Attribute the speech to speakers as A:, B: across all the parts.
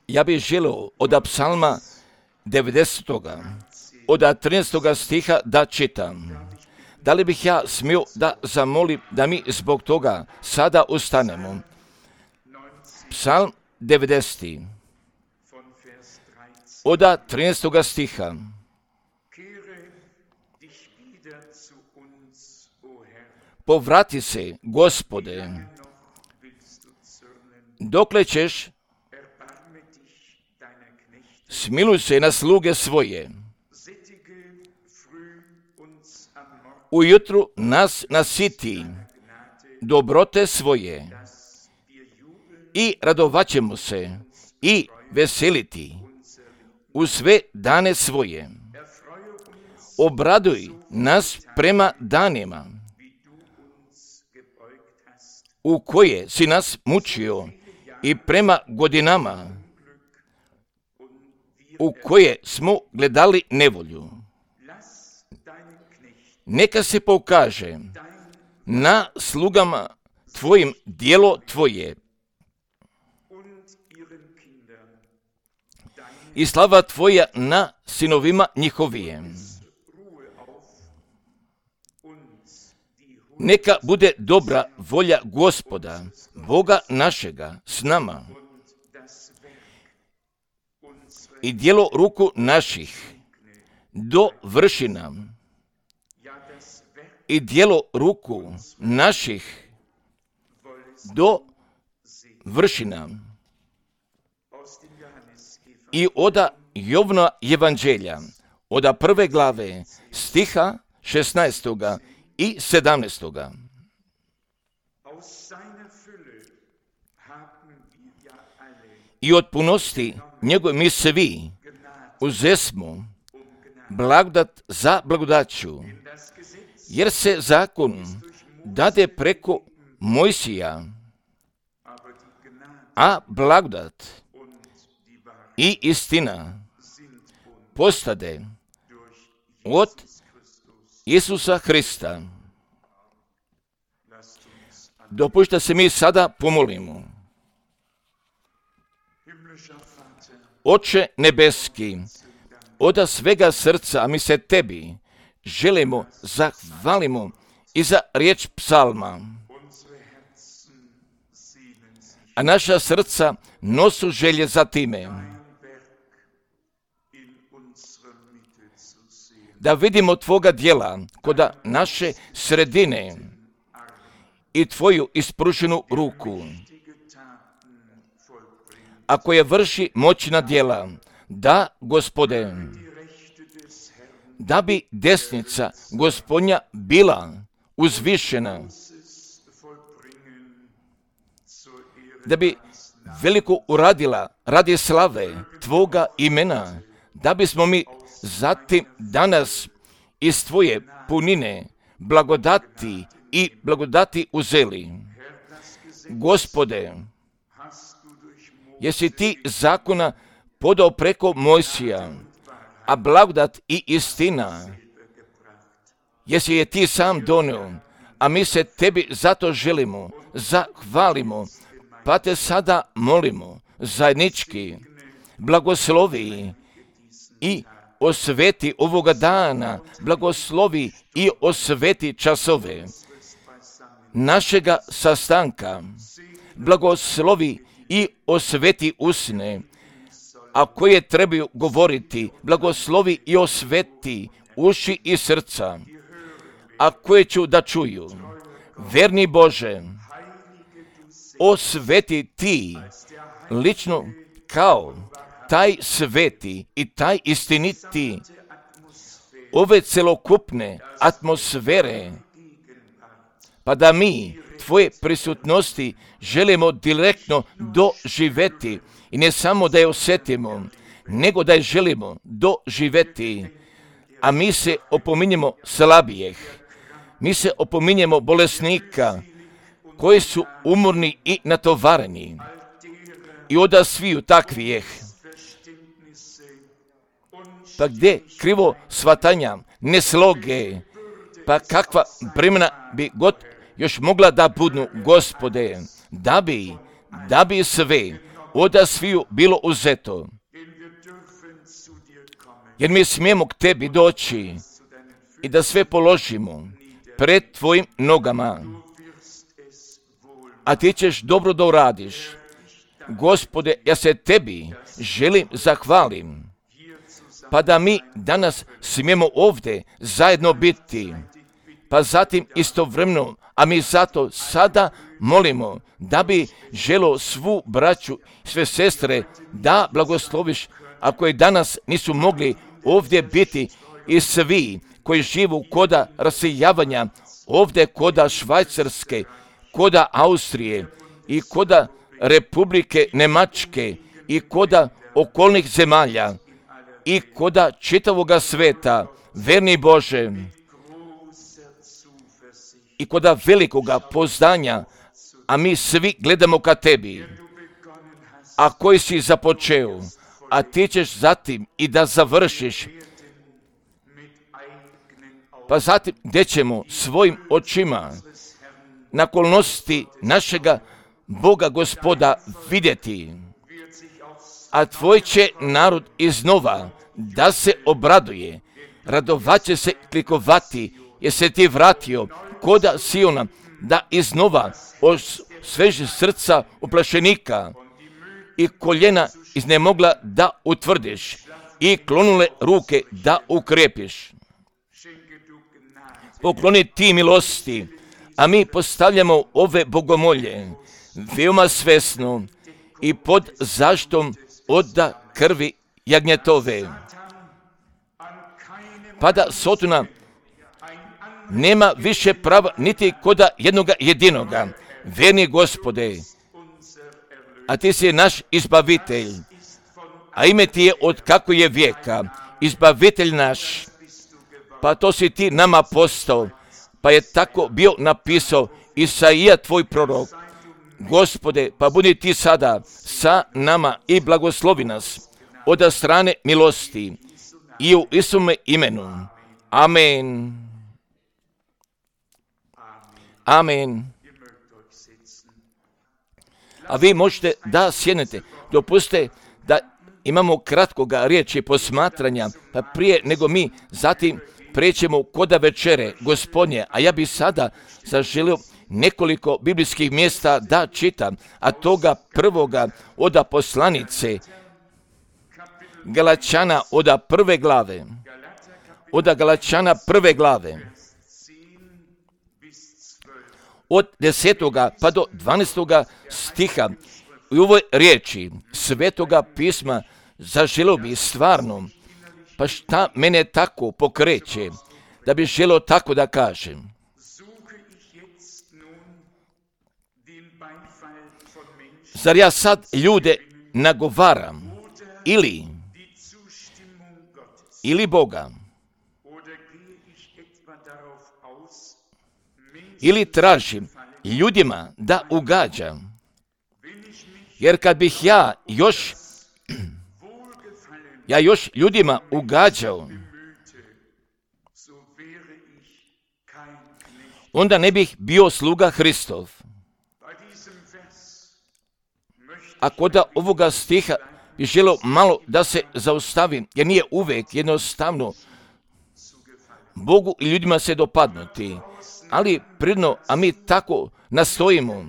A: Ja bih želio od psalma 90. od 13. stiha da čitam. Da li bih ja smio da zamolim da mi zbog toga sada ustanemo? Psalm 90. od 13. stiha. Povrati se, Gospode, dokle ćeš, smiluj se na sluge svoje. Ujutru nas nasiti dobrote svoje i radovaćemo se i veseliti u sve dane svoje. Obraduj nas prema danima u koje si nas mučio i prema godinama u koje smo gledali nevolju. Neka se pokaže na slugama tvojim djelo tvoje i slava tvoja na sinovima njihovijem. Neka bude dobra volja Gospoda, Boga našega, s nama i djelo ruku naših dovrši nam. I djelo ruku naših dovrši nam. I od Jovna evanđelja, od 1. glave, stiha 16. i 17. I od punosti njegove mi svi uzesmo blagodat za blagodaću, jer se zakon dade preko Mojsija, a blagodat i istina postade od Isusa Hrista. Dopušta se mi sada pomolimo. Oče nebeski, od svega srca, a mi se tebi želimo, zahvalimo i za riječ psalma. A naša srca nosu želje za time. Da vidimo tvoga djela kod naše sredine i tvoju ispruženu ruku, a koje vrši moćna djela, da, Gospode, da bi desnica Gospodnja bila uzvišena, da bi veliko uradila radi slave tvoga imena, da bismo mi zatim danas iz tvoje punine blagodati uzeli. Gospode, jesi ti zakona podao preko Mojsija, a blagodat i istina jesi je ti sam donio, a mi se tebi zato želimo, zahvalimo, pa te sada molimo zajednički, blagoslovi i osveti ovoga dana, blagoslovi i osveti časove našega sastanka, blagoslovi i osveti usne, a koje trebaju govoriti, blagoslovi i osveti uši i srca, a koje ću da čuju. Verni Bože, osveti ti lično kao taj sveti i taj istiniti ove celokupne atmosfere, pa da mi tvoje prisutnosti želimo direktno doživeti i ne samo da je osjetimo, nego da je želimo doživeti, a mi se opominjemo slabijeh, mi se opominjemo bolesnika koji su umorni i natovareni i od sviju takvijeh. Pa gdje krivo shvatanja, nesloge, pa kakva bremena bi god još mogla da budnu, Gospode, da bi da bi sve od sviju bilo uzeto. Jer mi smijemo k tebi doći i da sve položimo pred tvojim nogama. A ti ćeš dobro da uradiš. Gospode, ja se tebi želim zahvalim. Pa da mi danas smijemo ovdje zajedno biti. Pa zatim istovremeno, a mi zato sada molimo da bi želo svu braću, sve sestre, da blagosloviš, ako je danas nisu mogli ovdje biti, i svi koji živu koda rasijavanja, ovdje koda Švajcarske, koda Austrije i koda Republike Nemačke i koda okolnih zemalja i koda čitavoga sveta, verni Bože, i koda velikoga poznanja, a mi svi gledamo ka tebi, a koji si započeo, a ti ćeš zatim i da završiš. Pa zatim gdje ćemo svojim očima nakolnosti našega Boga Gospoda vidjeti, a tvoj će narod iznova da se obraduje, radovaće se, klikovati, jer se ti vratio koda Siona, da iznova osveži srca uplašenika i koljena iznemogla da utvrdiš i klonule ruke da ukrepiš. Pokloni ti milosti, a mi postavljamo ove bogomolje veoma svesno i pod zaštom od krvi jagnjetove. Pa da Sotona nema više prava niti koda jednoga jedinoga. Verni Gospode, a ti si naš izbavitelj, a ime ti je od kako je vijeka, izbavitelj naš. Pa to si ti nama postao, pa je tako bio napisao Isaija tvoj prorok. Gospode, pa budi ti sada sa nama i blagoslovi nas od strane milosti i u Isume imenu. Amen. Amen. A vi možete da sjednete. Dopustite da imamo kratkoga riječi posmatranja, pa prije nego mi zatim prećemo koda večere Gospodnje, a ja bi sada zaželio nekoliko biblijskih mjesta da čitam, a toga prvoga od poslanice Galačana od prve glave, od Galačana prve glave, od 10. pa do 12. stiha. U ovoj riječi Svetoga pisma zaželio bi stvarno, pa šta mene tako pokreće, da bi želio tako da kažem. Zar ja sad ljude nagovaram ili Boga? Ili tražim ljudima da ugađam? Jer kad bih ja još ljudima ugađao, onda ne bih bio sluga Hristov. A kod ovoga stiha bih želio malo da se zaustavim, jer nije uvijek jednostavno Bogu i ljudima se dopadnuti, ali prirodno, a mi tako nastojimo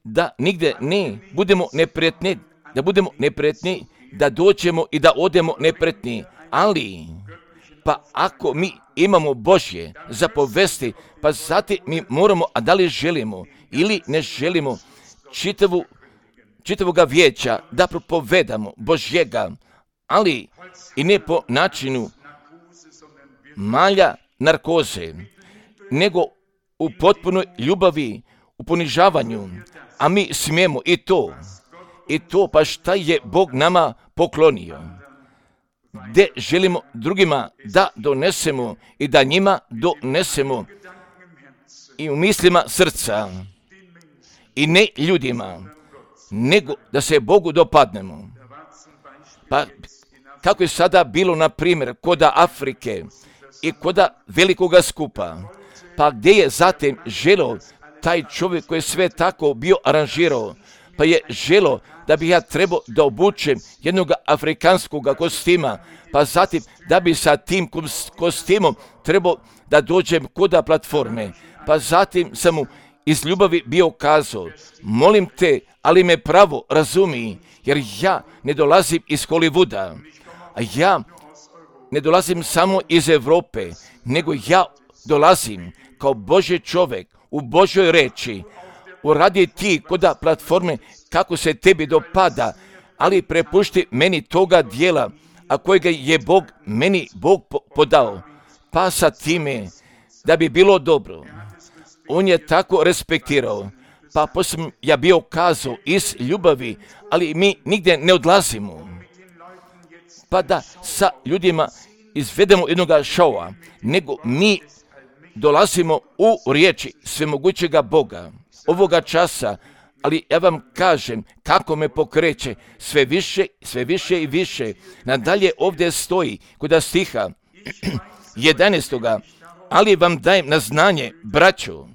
A: da nigdje ne budemo neprijatni, da dođemo i da odemo neprijatni, ali pa ako mi imamo Božje zapovesti, pa zatim mi moramo, a da li želimo ili ne želimo čitavoga vijeća da propovedamo Božjega, ali i ne po načinu malja narkoze, nego u potpunoj ljubavi, u ponižavanju, a mi smijemo i to, pa šta je Bog nama poklonio, gdje želimo drugima da donesemo i da njima donesemo i u mislima srca i ne ljudima, nego da se Bogu dopadnemo. Pa kako je sada bilo, na primjer, koda Afrike i koda velikoga skupa, pa gdje je zatim želo taj čovjek koji je sve tako bio aranžirao, pa je želo da bi ja trebao da obučem jednog afrikanskog kostima, pa zatim da bi sa tim kostimom trebao da dođem koda platforme, pa zatim sam mu iz ljubavi bio kazao, molim te, ali me pravo razumi, jer ja ne dolazim iz Hollywooda, a ja ne dolazim samo iz Europe, nego ja dolazim kao Božji čovjek u Božjoj reči, uradi ti koda platforme kako se tebi dopada, ali prepušti meni toga dijela, a kojega je meni Bog podao, pa sa time da bi bilo dobro. On je tako respektirao, pa poslije ja bio kazao iz ljubavi, ali mi nigdje ne odlazimo, pa da sa ljudima izvedemo jednoga šova, nego mi dolazimo u riječi svemogućega Boga ovoga časa, ali ja vam kažem kako me pokreće sve više i više. Nadalje ovdje stoji kod stiha 11. Ali vam dajem na znanje, braćo,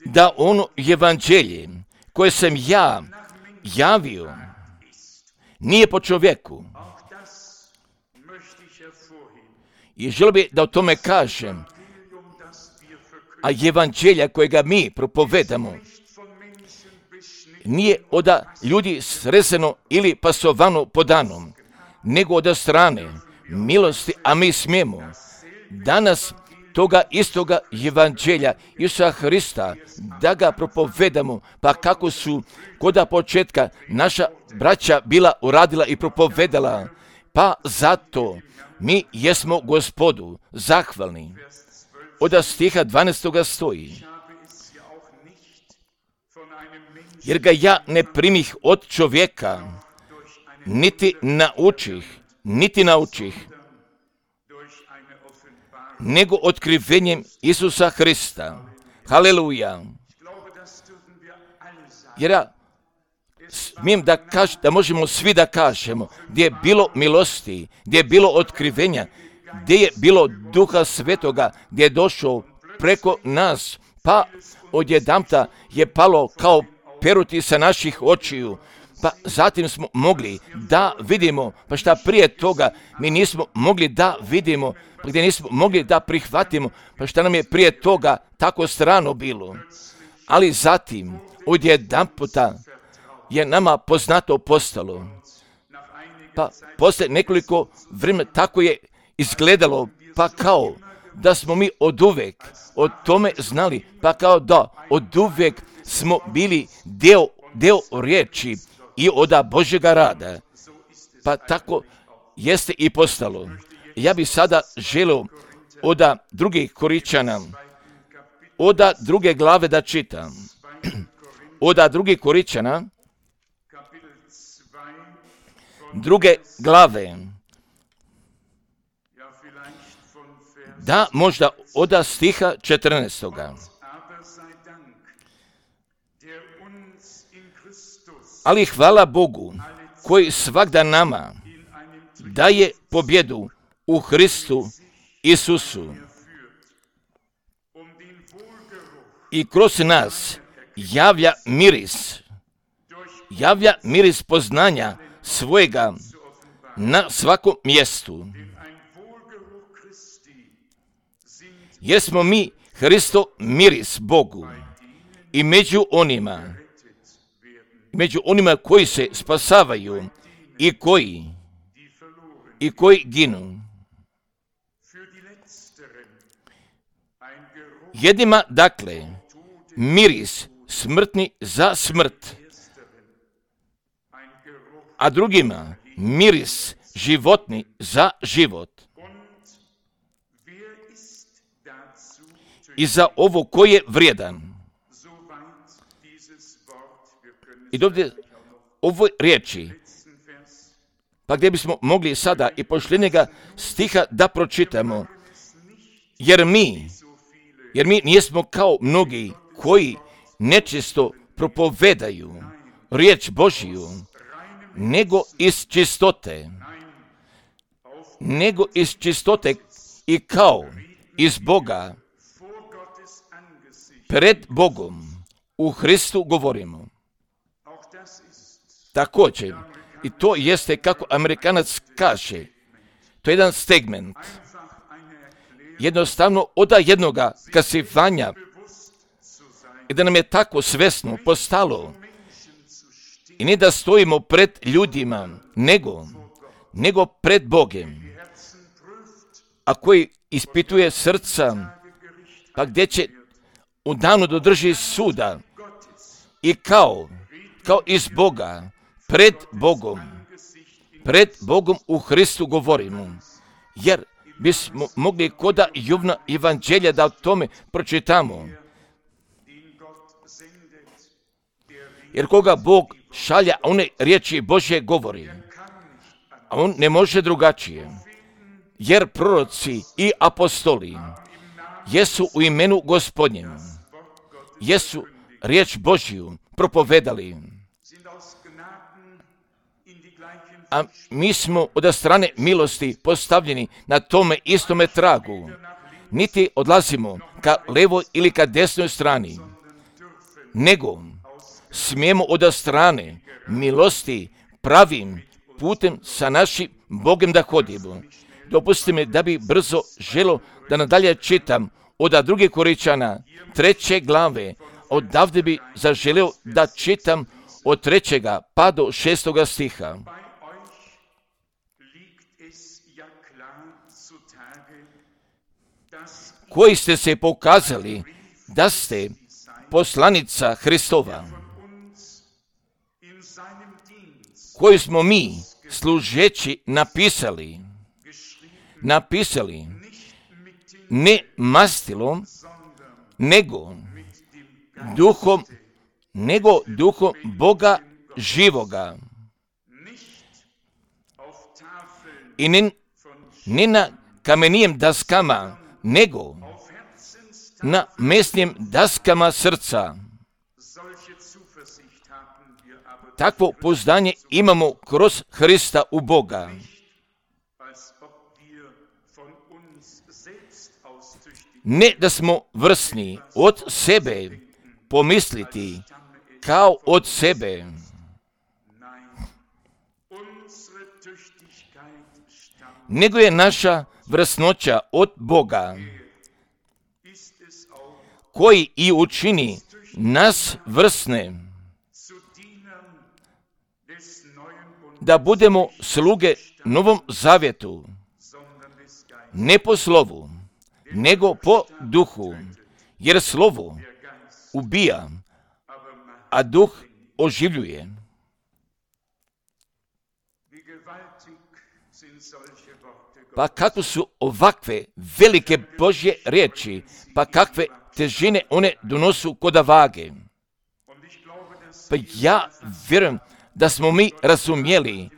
A: da ono evanđelje koje sam ja javio nije po čovjeku. I želio bi da o tome kažem, a evanđelja kojega mi propovedamo nije od ljudi srezano ili pasovano podanom, nego od strane milosti, a mi smijemo danas toga istoga evanđelja Isusa Hrista da ga propovedamo, pa kako su koda početka naša braća bila uradila i propovedala, pa zato mi jesmo Gospodu zahvalni. Od stiha 12. stoji, jer ga ja ne primih od čovjeka, niti naučih, nego otkrivenjem Isusa Hrista. Haleluja. Jer ja smijem da možemo svi da kažemo, gdje je bilo milosti, gdje je bilo otkrivenja, gdje je bilo Duha Svetoga, gdje je došao preko nas, pa odjedanput je palo kao peruti sa naših očiju, pa zatim smo mogli da vidimo, pa šta prije toga mi nismo mogli da vidimo, pa gdje nismo mogli da prihvatimo, pa šta nam je prije toga tako strano bilo. Ali zatim odjedanputa je nama poznato postalo, pa poslije nekoliko vremena tako je izgledalo, pa kao da smo mi oduvek o tome znali, pa kao da oduvek smo bili deo riječi i od Božjega rada, pa tako jeste i postalo. Ja bih sada želio od drugih Koričana, od druge glave da čitam, od drugih Koričana, druge glave, da možda od stiha 14. Ali hvala Bogu koji svagda nama daje pobjedu u Hristu Isusu i kroz nas javlja miris poznanja svojega na svakom mjestu. Jesmo mi Hristo miris Bogu i među onima koji se spasavaju i koji ginu. Jednima, dakle, miris smrtni za smrt, a drugima miris životni za život. I za ovo ko je vrijedan. I ovdje ovoj riječi, pa gdje bismo mogli sada i posljednjega stiha da pročitamo, jer mi nismo kao mnogi koji nečisto propovedaju riječ Božiju, nego iz čistote i kao iz Boga, pred Bogom, u Hristu govorimo. Također, i to jeste kako Amerikanac kaže, to je jedan segment, jednostavno od jednoga kasivanja, i da nam je tako svesno postalo, i ne da stojimo pred ljudima, nego pred Bogem, a koji ispituje srca, pa gdje će u danu do drži suda i kao iz Boga, pred Bogom u Hristu govorimo, jer bismo mogli koda Jovna evanđelja da o tome pročitamo. Jer koga Bog šalja, one riječi Božje govori, a on ne može drugačije. Jer proroci i apostoli jesu u imenu Gospodnjem, jesu riječ Božju propovedali. A mi smo od strane milosti postavljeni na tome istome tragu. Niti odlazimo ka levoj ili ka desnoj strani, nego smijemo od strane milosti pravim putem sa našim Bogom da hodimo. Dopustite mi da bi brzo želo da nadalje čitam od 2. Korinčana 3. glave. Odavde bi zaželio da čitam od 3. pa do 6. stiha. Koji ste se pokazali da ste poslanica Hristova, koju smo mi služeći napisali ne mastilom, nego duhom Boga živoga. I ne na kamenijem daskama, nego na mesnim daskama srca. Takvo pouzdanje imamo kroz Hrista u Boga. Ne da smo vrsni od sebe pomisliti kao od sebe, nego je naša vrsnoća od Boga, koji i učini nas vrsne, da budemo sluge Novom zavjetu, ne po slovu, nego po duhu, jer slovo ubija, a duh oživljuje. Pa kako su ovakve velike Božje riječi, pa kakve težine one donosu koda vage. Pa ja vjerujem da smo mi razumjeli,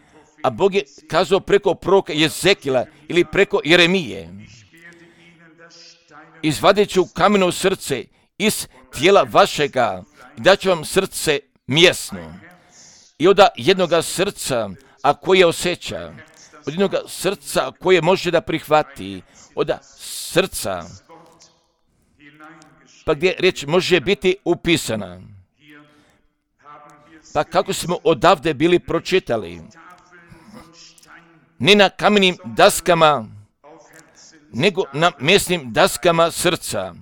A: a Bog je kazao preko proroka Jezekila ili preko Jeremije: izvadit ću kameno srce iz tijela vašega i dat ću vam srce mjesno. I od jednoga srca, a koje osjeća, od jednoga srca koje može da prihvati, od srca, pa gdje riječ može biti upisana. Pa kako smo odavde bili pročitali, ne na kamenim daskama, nego na mesnim daskama srca.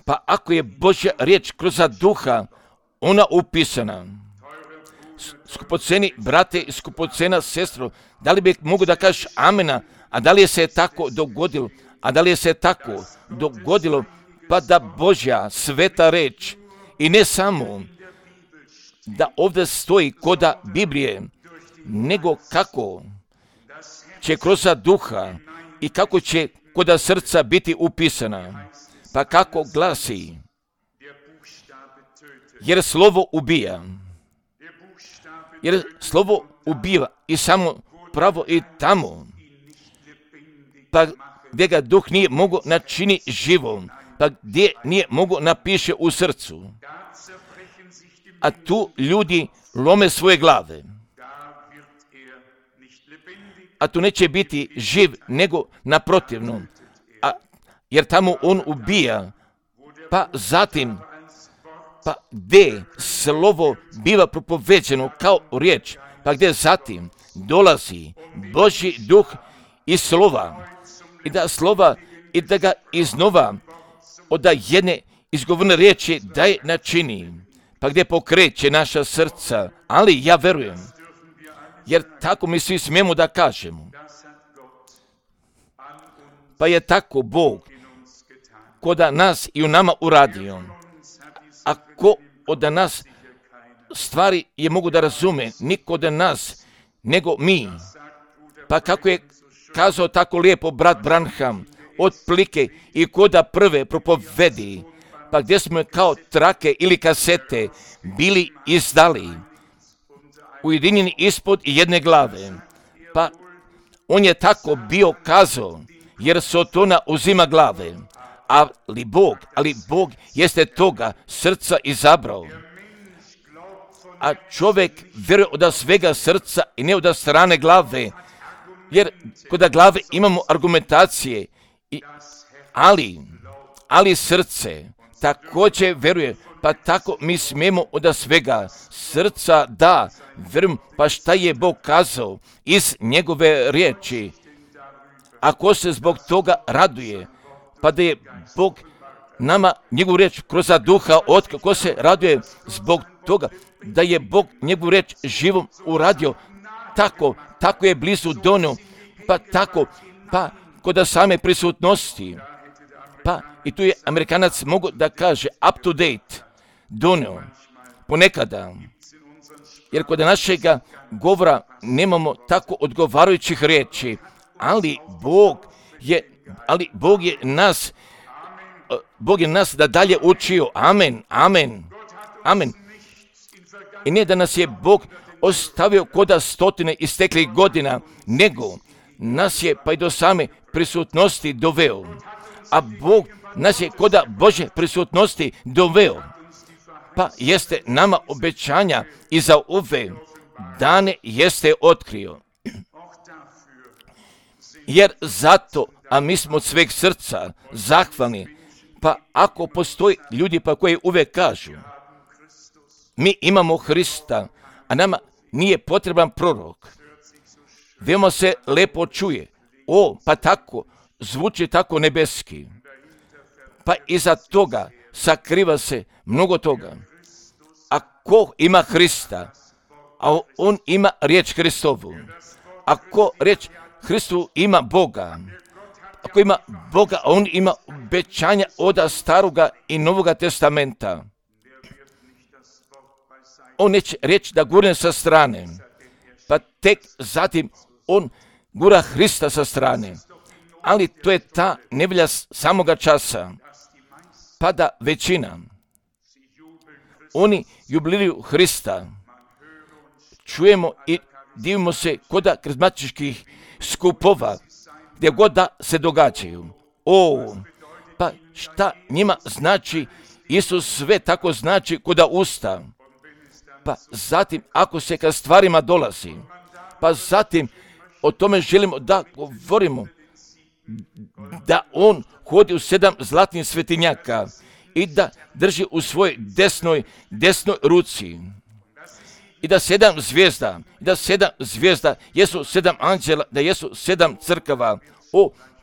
A: Pa ako je Božja riječ kroz duha, ona upisana. Skupoceni brate i skupocena sestro, da li bi mogu da kažeš amena, a da li je se tako dogodilo, pa da Božja sveta reč, i ne samo da ovdje stoji koda Biblije, nego kako će kroz duha i kako će koda srca biti upisana. Pa kako glasi: jer slovo ubija. Jer slovo ubija i samo pravo i tamo, pa gdje ga duh nije mogo načini živom, pa gdje nije mogo napiše u srcu. A tu ljudi lome svoje glave. a tu neće biti živ, nego naprotivno, jer tamo on ubija. Pa zatim, pa gdje slovo biva propoveđeno kao riječ, pa gdje zatim dolazi Božji duh iz slova, i da slova, i da ga iznova od jedne izgovorne riječi daje načini, pa gdje pokreće naša srca. Ali ja verujem, jer tako mi svi smijemo da kažemo, pa je tako Bog kod nas i u nama uradio. A ko od nas stvari je mogu da razume, niko od nas nego mi. Pa kako je kazao tako lijepo brat Branham, otplike i koda prve propovedi, pa gdje smo kao trake ili kasete bili izdali, ujedinjeni ispod jedne glave. Pa on je tako bio kazao, jer Sotona uzima glave, ali Bog jeste toga srca izabrao. A čovjek vjeruje od svega srca i ne od strane glave, jer kod glave imamo argumentacije, ali srce također vjeruje, pa tako mi smijemo od svega srca da vjerujem, pa šta je Bog kazao iz njegove riječi. Ako se zbog toga raduje, pa da je Bog nama njegovu riječ kroz duha otkrio, ko se raduje zbog toga da je Bog njegovu riječ živom uradio, tako je blizu donio, pa tako, pa kod same prisutnosti, pa i tu je Amerikanac mogu da kaže up to date, donio, ponekada, jer kod našega govora nemamo tako odgovarajućih riječi, ali Bog je nas da dalje učio. Amen, amen, amen. I ne da nas je Bog ostavio koda stotine isteklih godina, nego nas je pa i do same prisutnosti doveo. A Bog nas je koda Božje prisutnosti doveo. Pa jeste nama obećanja i za ove dane jeste otkrio. Jer zato, a mi smo od sveg srca zahvalni, pa ako postoji ljudi pa koji uvijek kažu, mi imamo Hrista, a nama nije potreban prorok. Veoma se lepo čuje, pa tako, zvuči tako nebeski. Pa iza toga sakriva se mnogo toga. A ko ima Hrista, a on ima riječ Hristovu. Ako riječ Hristu ima Boga, ako ima Boga, a on ima obećanja od Staroga i Novoga testamenta. On neće reći da gurne sa strane, pa tek zatim on gura Hrista sa strane. Ali to je ta nevolja samoga časa, pa da većina, oni jubiliraju Hrista. Čujemo i divimo se koda karizmatičkih skupova, gdje god da se događaju. Pa šta njima znači, Isus sve tako znači koda usta. Pa zatim, ako se ka stvarima dolazi, pa zatim o tome želimo da govorimo, da on hodi u 7 zlatnih svetinjaka i da drži u svojoj desnoj ruci. I da 7 zvijezda jesu 7 anđela, da jesu 7 crkava.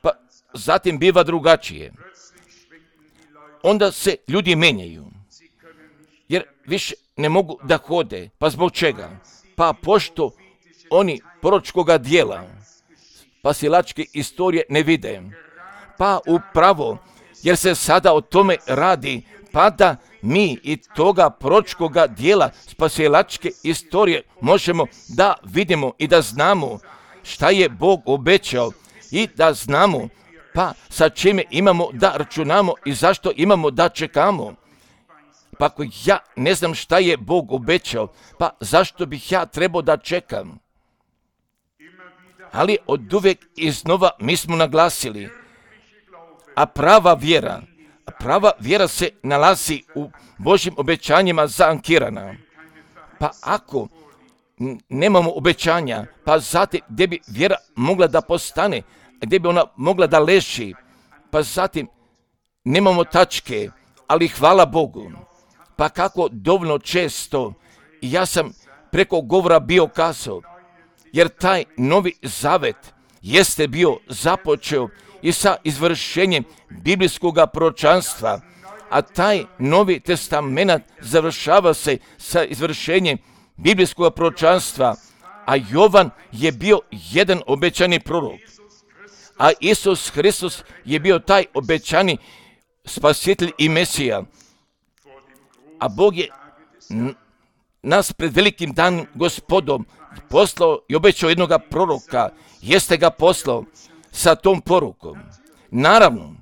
A: Pa zatim biva drugačije. Onda se ljudi menjaju, jer više ne mogu da hode. Pa zbog čega? Pa pošto oni proročkoga dijela, spasilačke istorije ne vide. Pa upravo, jer se sada o tome radi, pa da mi i toga proročkoga dijela spasilačke istorije možemo da vidimo i da znamo šta je Bog obećao i da znamo pa sa čime imamo da računamo i zašto imamo da čekamo. Pa ako ja ne znam šta je Bog obećao, pa zašto bih ja trebao da čekam? Ali od uvijek iznova mi smo naglasili, a prava vjera se nalazi u Božjim obećanjima zaankirana. Pa ako nemamo obećanja, pa zatim gdje bi vjera mogla da postane, gdje bi ona mogla da leži, pa zatim nemamo tačke, ali hvala Bogu. Pa kako dovoljno često ja sam preko govora bio kazao, jer taj novi zavet jeste bio započeo i sa izvršenjem biblijskog proročanstva, a taj novi testament završava se sa izvršenjem biblijskog proročanstva, a Jovan je bio jedan obećani prorok, a Isus Hristos je bio taj obećani spasitelj i Mesija. A Bog je nas pred velikim danom Gospodom poslao i obećao jednog proroka, jeste ga poslao sa tom porukom. Naravno,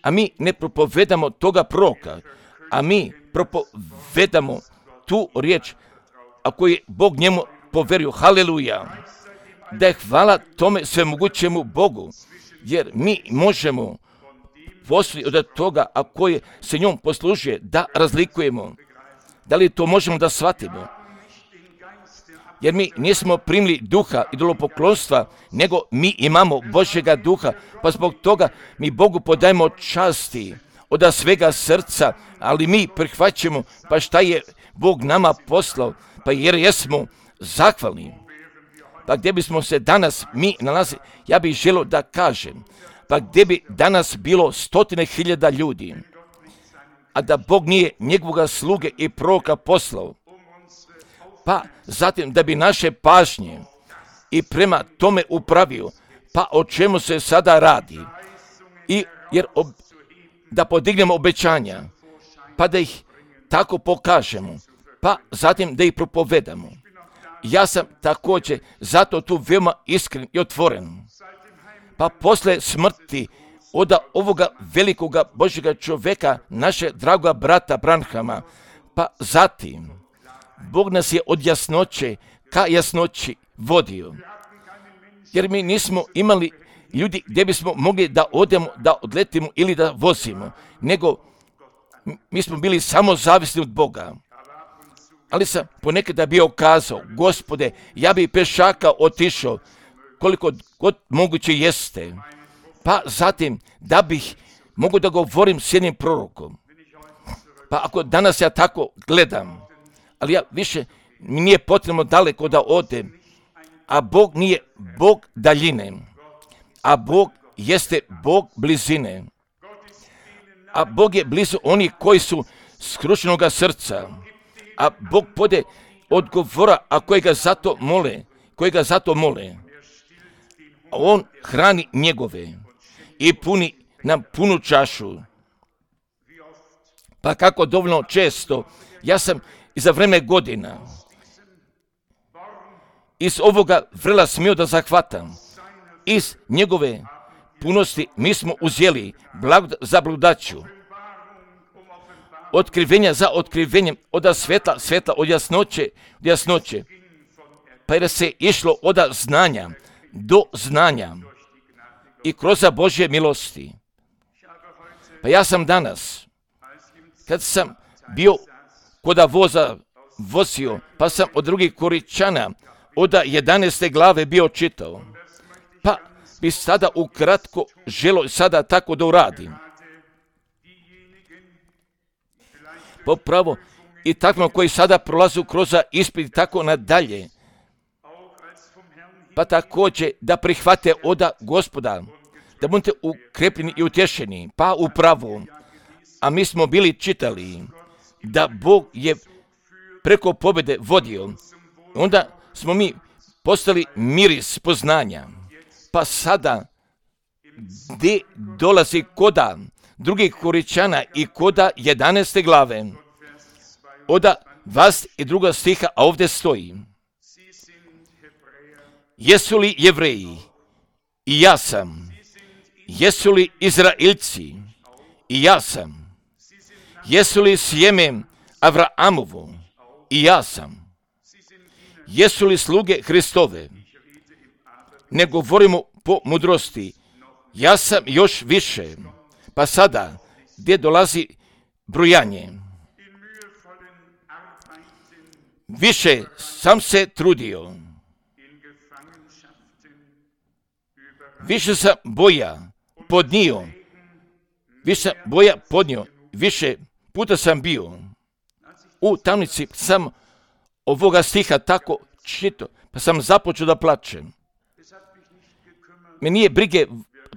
A: a mi ne propovedamo toga proroka, a mi propovedamo tu riječ, a koju je Bog njemu poverio. Haleluja! Da je hvala tome svemogućemu Bogu, jer mi možemo poslije od toga, a koje se njom poslužuje, da razlikujemo. Da li to možemo da shvatimo? Jer mi nismo primili duha idolopoklonstva, nego mi imamo Božjega duha, pa zbog toga mi Bogu podajemo časti od svega srca, ali mi prihvaćamo, pa šta je Bog nama poslao, pa jer jesmo zahvalni. Pa gdje bismo se danas mi nalazili, ja bih želio da kažem, pa gdje bi danas bilo 100.000 ljudi, a da Bog nije njegovoga sluge i proroka poslao, pa zatim da bi naše pažnje i prema tome upravio, pa o čemu se sada radi, jer da podignemo obećanja, pa da ih tako pokažemo, pa zatim da ih propovedamo. Ja sam također zato tu veoma iskren i otvoren. Pa posle smrti od ovoga velikoga Božjega čovjeka, naše dragoga brata Branhama, pa zatim Bog nas je od jasnoće ka jasnoći vodio. Jer mi nismo imali ljudi gdje bismo mogli da odemo, da odletimo ili da vozimo, nego mi smo bili samo zavisni od Boga. Ali sam ponekada bio kazao, Gospode, ja bi pešaka otišao koliko god moguće jeste. Pa zatim da bih mogu da govorim s jednim prorokom. Pa ako danas ja tako gledam, ali ja više mi nije potrebno daleko da odem, a Bog nije Bog daljine, a Bog jeste Bog blizine. A Bog je blizu onih koji su skrušenoga srca, a Bog pode odgovora, a koji ga zato mole. On hrani njegove i puni nam punu čašu. Pa kako dovoljno često, ja sam i za vreme godina iz ovoga vrela smio da zahvatam. Iz njegove punosti mi smo uzeli blagodat za blagodaću, otkrivenja za otkrivenjem, od svetla, od jasnoće, pa jer se išlo od znanja do znanja i kroz Božje milosti. Pa ja sam danas, kad sam bio kod vozio, pa sam od drugih Koričana od 11. glave bio čitao, pa bi sada ukratko želo sada tako da uradim. Popravo i takvima koji sada prolazu kroz ispit tako nadalje, pa također da prihvate od Gospoda, da budete ukrepljeni i utješeni, pa upravo. A mi smo bili čitali da Bog je preko pobjede vodio, onda smo mi postali miris poznanja. Pa sada, gdje dolazi koda drugih Koričana i koda 11. glave, od 22. stiha, a ovdje stoji: jesu li Jevreji? I ja sam. Jesu li Izraelci? I ja sam. Jesu li sjeme Avraamovo? I ja sam. Jesu li sluge Hristove? Ne govorimo po mudrosti, ja sam još više. Pa sada, gdje dolazi brojanje? više sam se trudio. Više sam boja podnio. Više puta sam bio u tamnici, sam ovoga stiha tako čitao, pa sam započeo da plačem. Me nije brige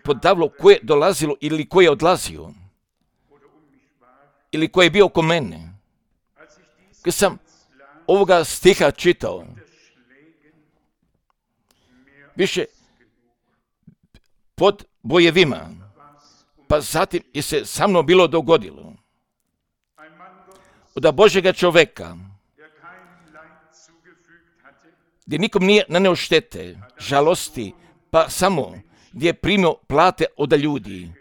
A: podavilo ko je dolazilo ili ko je odlazio, ili ko je bio oko mene. Kad sam ovoga stiha čitao, više pod bojevima, pa zatim je se sa mnom bilo dogodilo. Od Božjega čoveka, gdje nikom nije naneo štete, žalosti, pa samo gdje je primio plate od ljudi,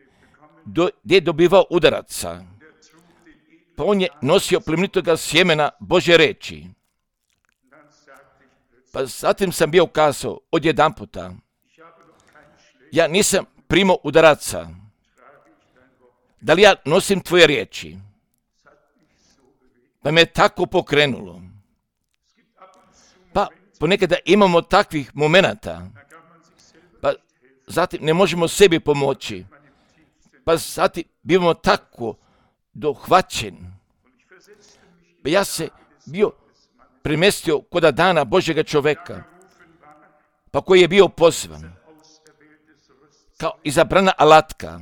A: gdje je dobivao udaraca, pa on je nosio plemenitoga sjemena Božje reči. Pa zatim sam bio kazao odjedanputa, ja nisam primio udaraca, da li ja nosim tvoje riječi? Pa me je tako pokrenulo. Pa ponekada imamo takvih momenata, pa zatim ne možemo sebi pomoći, pa zatim bivamo tako dohvaćeni. Pa ja se bio premestio kod dana Božjega čoveka, pa koji je bio pozvan kao izabrana alatka.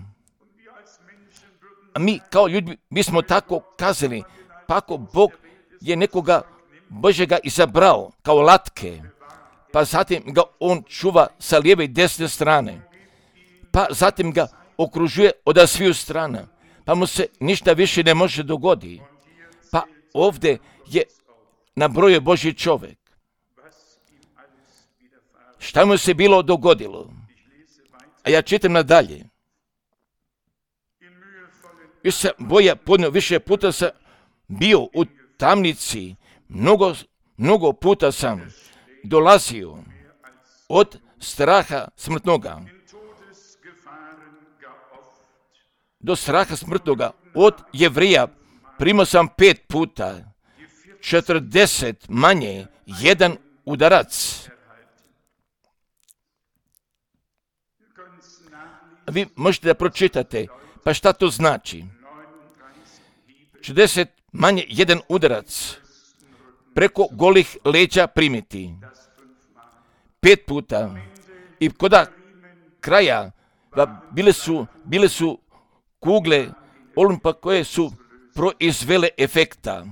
A: A mi kao ljudi, mi smo tako kazali, pa ako Bog je nekoga Božjega izabrao kao alatke, pa zatim ga on čuva sa lijeve i desne strane, pa zatim ga okružuje od sviju strana, pa mu se ništa više ne može dogoditi. Pa ovdje je nabrojio Božji čovjek. Šta mu se bilo dogodilo? A ja čitam nadalje. Još sam boja podnio, više puta sam bio u tamnici, mnogo puta sam dolazio od straha smrtnoga do straha smrtnoga. Od Jevrija primao sam 5 puta, 40 manje, 1 udarac. Vi možete da pročitate, pa šta to znači? 40 manje, 1 udarac preko golih leđa primiti. 5 puta. I koda kraja bile su kugle Olimpa koje su proizvele efekta.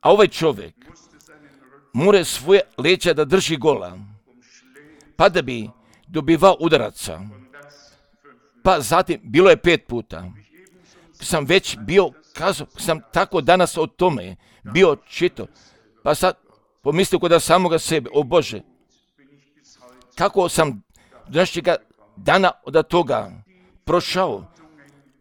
A: A ovaj čovjek mora svoje leđa da drži gola, pa da bi dobivao udaraca. Pa zatim bilo je 5 puta. Sam već bio kazao, sam tako danas o tome bio čitao, pa sad pomislio kod samoga sebe, o Bože, kako sam današnjega dana od toga prošao,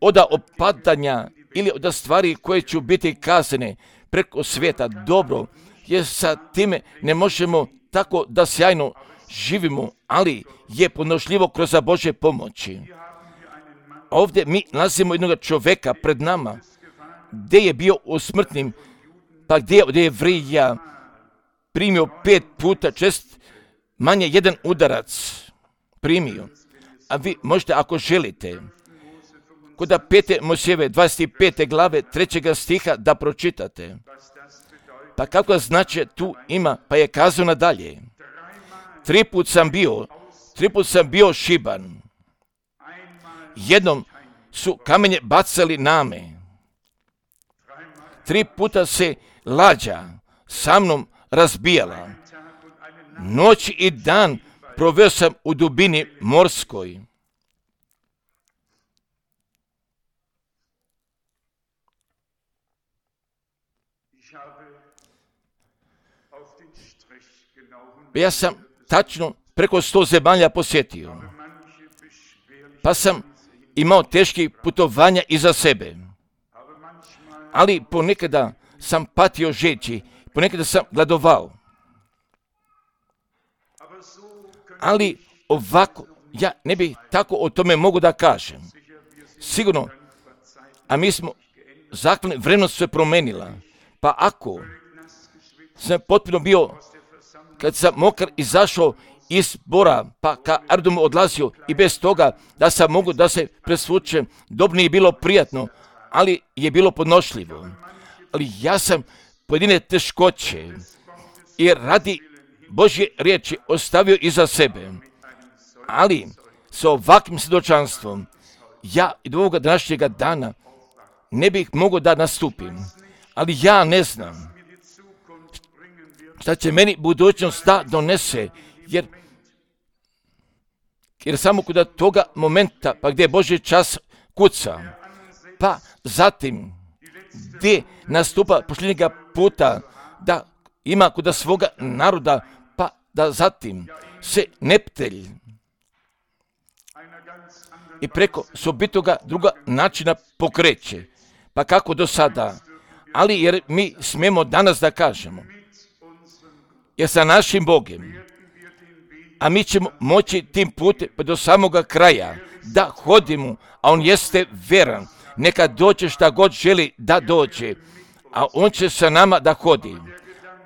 A: od opadanja ili od stvari koje će biti kazane preko svijeta. Dobro, jer sa time ne možemo tako da sjajno živimo, ali je podnošljivo kroz Božje pomoći. Ovdje mi nalazimo jednog čovjeka pred nama, gdje je bio u smrtnim, pa gdje je Jevrija primio 5 puta, manje 1 udarac primio. A vi možete, ako želite, kod 5. Mojsijeve 25. glave 3. stiha da pročitate. Pa kako znači tu ima, pa je kazao nadalje. 3 put sam bio šiban. Jednom su kamenje bacali na me. 3 puta se lađa sa mnom razbijala. Noć i dan proveo sam u dubini morskoj. Ja sam tačno preko 100 zemalja posjetio. Pa sam imao teških putovanja iza sebe. Ali ponekada sam patio žeći, ponekada sam gladovao. Ali ovako, ja ne bih tako o tome mogu da kažem. Sigurno, a mi smo, zakon vremenost se promenila. Pa ako sam potpuno bio, kad sam mokar izašao iz zbora, pa ka aerodromu odlazio i bez toga da sam mogu da se presvučem, dobro nije bilo prijatno, ali je bilo podnošljivo. Ali ja sam pojedine teškoće i radi Božje riječi ostavio iza sebe. Ali sa ovakvim svjedočanstvom ja i do ovoga današnjega dana ne bih mogao da nastupim. Ali ja ne znam šta će meni budućnost da donese, jer samo kod toga momenta, pa gdje Božji čas kuca, pa zatim gdje nastupa posljednjega puta da ima kod svoga naroda, pa da zatim se neptelj i preko sobitoga druga načina pokreće, pa kako do sada. Ali jer mi smijemo danas da kažemo, jer sa našim Bogom, a mi ćemo moći tim putem pa do samoga kraja da hodimo, a On jeste veran. Neka dođe šta god želi da dođe, a On će sa nama da hodi.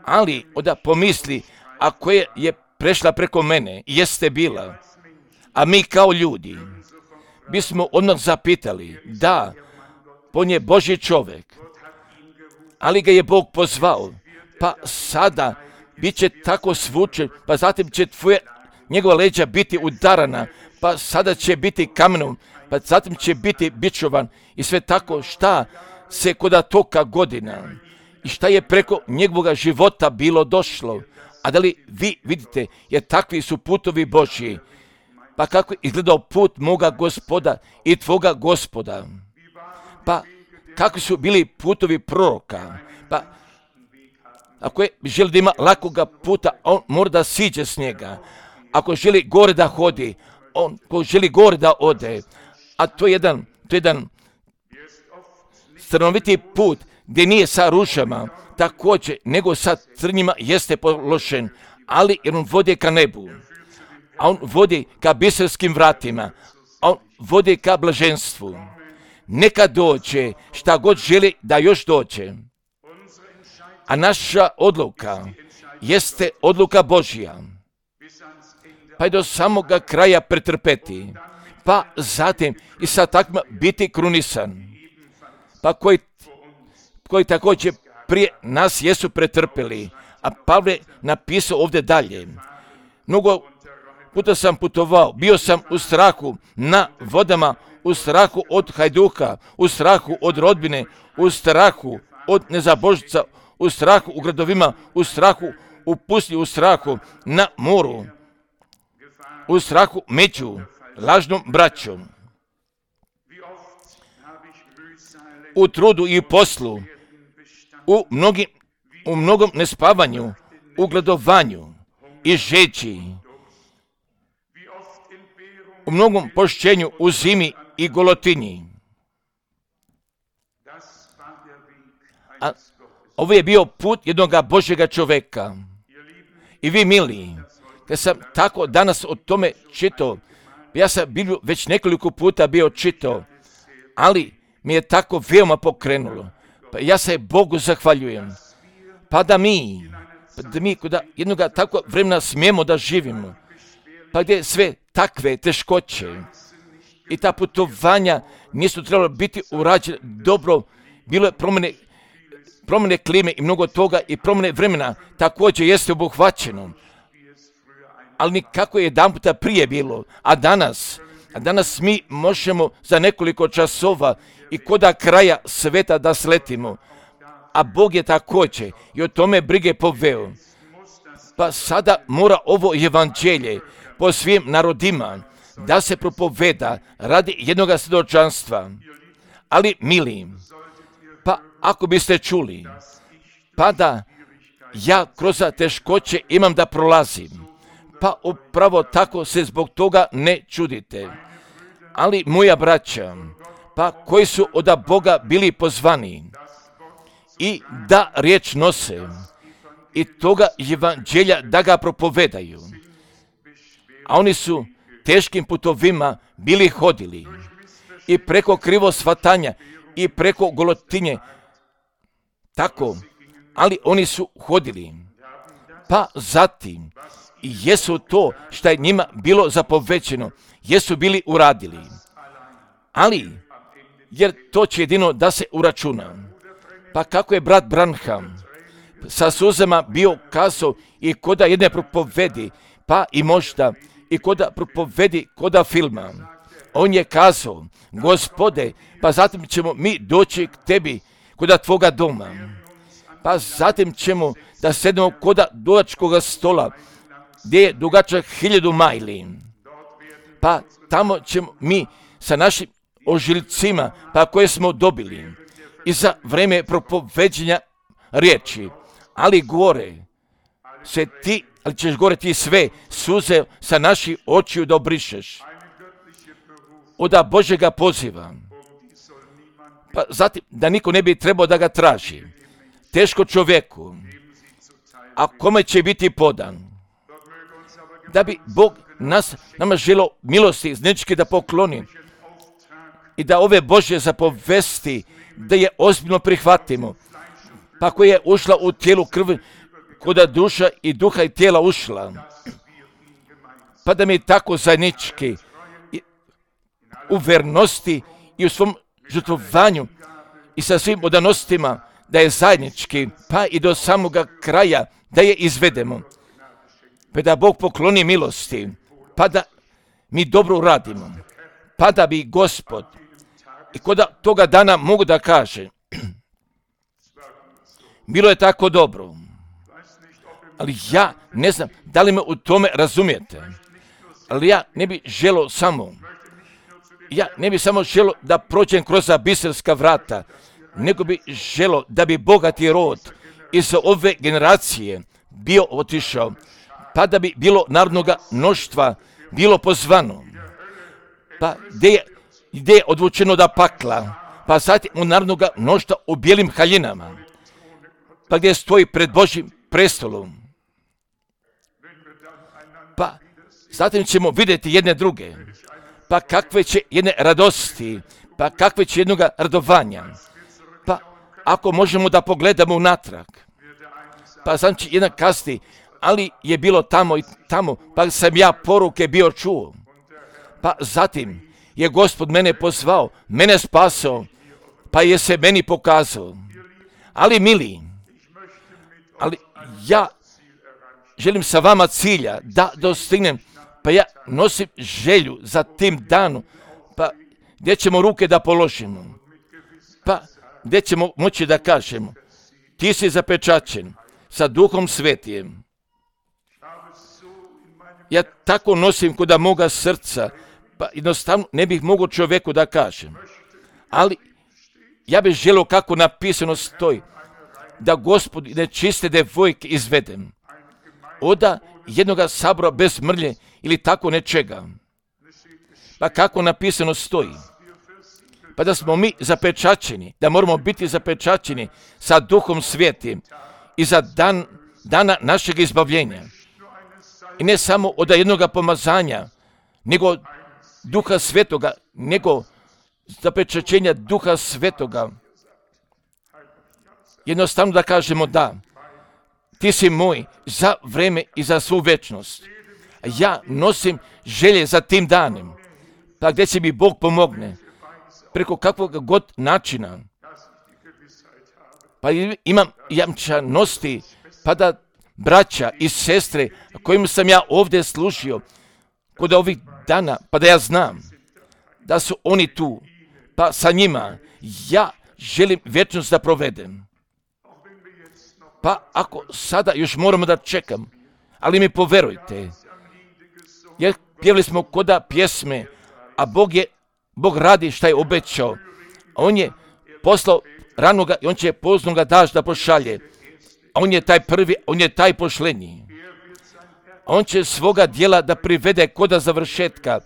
A: Ali onda pomisli, ako je prešla preko mene, jeste bila, a mi kao ljudi bismo odmah zapitali, da, on je Božji čovjek, ali ga je Bog pozvao, pa sada bit će tako svučen, pa zatim će njegova leđa biti udarana, pa sada će biti kamenom, pa zatim će biti bičovan i sve tako šta se kod toka godina i šta je preko njegovog života bilo došlo. A da li vi vidite, jer takvi su putovi Božji, pa kako je izgledao put moga Gospoda i tvoga Gospoda, pa kako su bili putovi proroka, pa ako je želi da ima lakoga puta, on mora da siđe s njega. Ako želi gore da hodi, on ko želi gore da ode, a to je jedan stranoviti put gdje nije sa rušama, također, nego sa crnjima jeste položen, ali jer on vodi ka nebu, a on vodi ka biserskim vratima, a on vodi ka blaženstvu. Neka dođe šta god želi da još dođe. A naša odluka jeste odluka Božja, pa i do samoga kraja pretrpeti, pa zatim i sa takvima biti krunisan, pa koji također prije nas jesu pretrpeli. A Pavle napisao ovdje dalje, mnogo puta sam putovao, bio sam u strahu na vodama, u strahu od hajduka, u strahu od rodbine, u strahu od nezabožica, u strahu u gradovima, u strahu u pustinji, u strahu na moru, u strahu među lažnom braćom, u trudu i poslu, u mnogom nespavanju, u gladovanju i žeđi, u mnogom pošćenju, u zimi i golotinji. A ovo je bio put jednog Božjega čovjeka. I vi, mili, kad sam tako danas o tome čitao, ja sam već nekoliko puta bio čitao, ali mi je tako veoma pokrenulo. Pa ja se Bogu zahvaljujem. Pa da mi kod jednog takvog vremena smijemo da živimo, pa gdje sve takve teškoće i ta putovanja nisu trebalo biti urađene dobro, bilo je promjene klime i mnogo toga i promjene vremena također jeste obuhvaćeno. Ali nikako je jedan puta prije bilo, a danas mi možemo za nekoliko časova i koda kraja sveta da sletimo, a Bog je također i o tome brige poveo. Pa sada mora ovo evanđelje po svim narodima da se propoveda radi jednog svjedočanstva. Ali, mili, pa ako biste čuli, pa da ja kroz teškoće imam da prolazim, pa upravo tako se zbog toga ne čudite. Ali moja braća, pa koji su od Boga bili pozvani i da riječ nose i toga evanđelja da ga propovedaju, a oni su teškim putovima bili hodili i preko krivo shvatanja i preko golotinje, tako ali oni su hodili. Pa zatim, i jesu to što je njima bilo zapovećeno, jesu bili uradili. Ali, jer to će jedino da se uračuna. Pa kako je brat Branham sa suzama bio kazao i koda jedne propovedi, pa i možda i koda propovedi koda filma. On je kazao, Gospode, pa zatim ćemo mi doći k tebi koda tvoga doma. Pa zatim ćemo da sednemo koda dugačkoga stola, gdje je dugačak 1000 majli. Pa tamo ćemo mi sa našim ožiljcima, pa koje smo dobili, i za vreme propoveđenja riječi, ali ćeš gore ti sve suze sa naših očiju da obrišeš. Oda Božjega poziva. Pa zatim, da niko ne bi trebao da ga traži. Teško čovjeku, a kome će biti podan? Da bi Bog nama želio milosti iznečke da pokloni i da ove Božje zapovesti, da je ozbiljno prihvatimo. Pa koja je ušla u tijelu krvi, koda duša i duha i tijela ušla. Pa da mi tako zajednički u vernosti i u svom žrtvovanju i sa svim odanostima da je zajednički, pa i do samoga kraja da je izvedemo. Pa da Bog pokloni milosti, pa da mi dobro uradimo, pa da bi Gospod i koda toga dana mogu da kaže, bilo je tako dobro, ali ja ne znam da li me u tome razumijete, ali ja ne bi želio samo da prođem kroz biserska vrata, nego bi želio da bi bogati rod iz ove generacije bio otišao, pa da bi bilo narodnoga mnoštva bilo pozvano, pa gdje je odvučeno da pakla, pa zatim u narodnoga mnoštva u bijelim haljinama, pa gdje stoji pred Božjim prestolom. Pa zatim ćemo vidjeti jedne druge, pa kakve će jedne radosti, pa kakve će jednoga radovanja. Pa ako možemo da pogledamo unatrag, pa znači jedan kasti, ali je bilo tamo i tamo, pa sam ja poruke bio čuo. Pa zatim je Gospod mene pozvao, mene spasao, pa je se meni pokazao. Ali mili, ali ja želim sa vama cilja da dostignem, pa ja nosim želju za tim danom, pa gdje ćemo ruke da položimo, pa gdje ćemo moći da kažemo, ti si zapečaćen sa Duhom Svetijem. Ja tako nosim kod moga srca, pa jednostavno ne bih mogao čovjeku da kažem. Ali ja bih želio kako napisano stoji, da Gospod nečiste devojke izvedem. Oda jednoga sabora bez mrlje ili tako nečega. Pa kako napisano stoji. Pa da smo mi zapečaćeni, da moramo biti zapečaćeni sa Duhom Svetim i za dana našeg izbavljenja. I ne samo od jednoga pomazanja, nego Duha Svetoga, nego zapečaćenja Duha Svetoga. Jednostavno da kažemo da, ti si moj za vreme i za svu večnost. Ja nosim želje za tim danem, pa gdje će mi Bog pomogne, preko kakvog god načina. Pa imam jamčanosti, pa da braća i sestre kojim sam ja ovdje služio kod ovih dana, pa da ja znam da su oni tu, pa sa njima ja želim vječnost da provedem. Pa ako sada još moramo da čekam, ali mi poverujte, jer pjevali smo koda pjesme, a Bog radi šta je obećao. On je poslao ranoga i on će poznoga daž da pošalje. On je taj prvi, on je taj pošlenji. On će svoga djela da privede koda završetka,